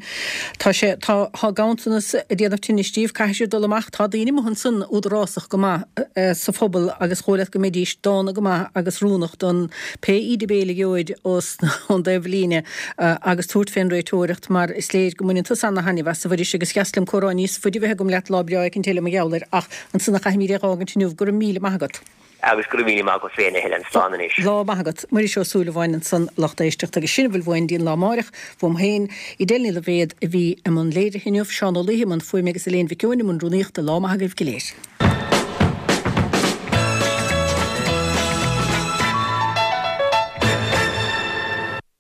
tá sé, tá, tá ganntanas ag déanamh tinnis díobh, caithfidh siad dul amach, tá daoine amuigh ansan údarásach go maith sa phobal agus dhóigh leat go mbeidís dána go maith agus oiriúnach don pé íde béil a gheobhaid os, ón dtaobh líne agus tabhairt fén réiteoireacht mar is léir go mbaineann tusa ana-thaitneamh as, a Mhuiris, agus dheas liom comhrá níos faide a bheith agam leat lá breá éicint eile mar gheall air ach Ansan a chaithfimid é dh'fhágaint inniu. Go raibh míle maith agat. Agus go raibh míle maith agat féin, a Helen. Slán anois. Lá maith agat. Muiris Ó Súilleabháin ansan, lucht éisteachta, agus sin a bhfuil uainn dtí'n lá amáireach. Uaim féin, Edel Ní Loibhéad a bhí i mbun léirithe inniu, Seán Ó Laoithe i mbun fuaime agus Elaine Mhic Eoin i mbun rúnaíochta. Lá maith agaibh go léir.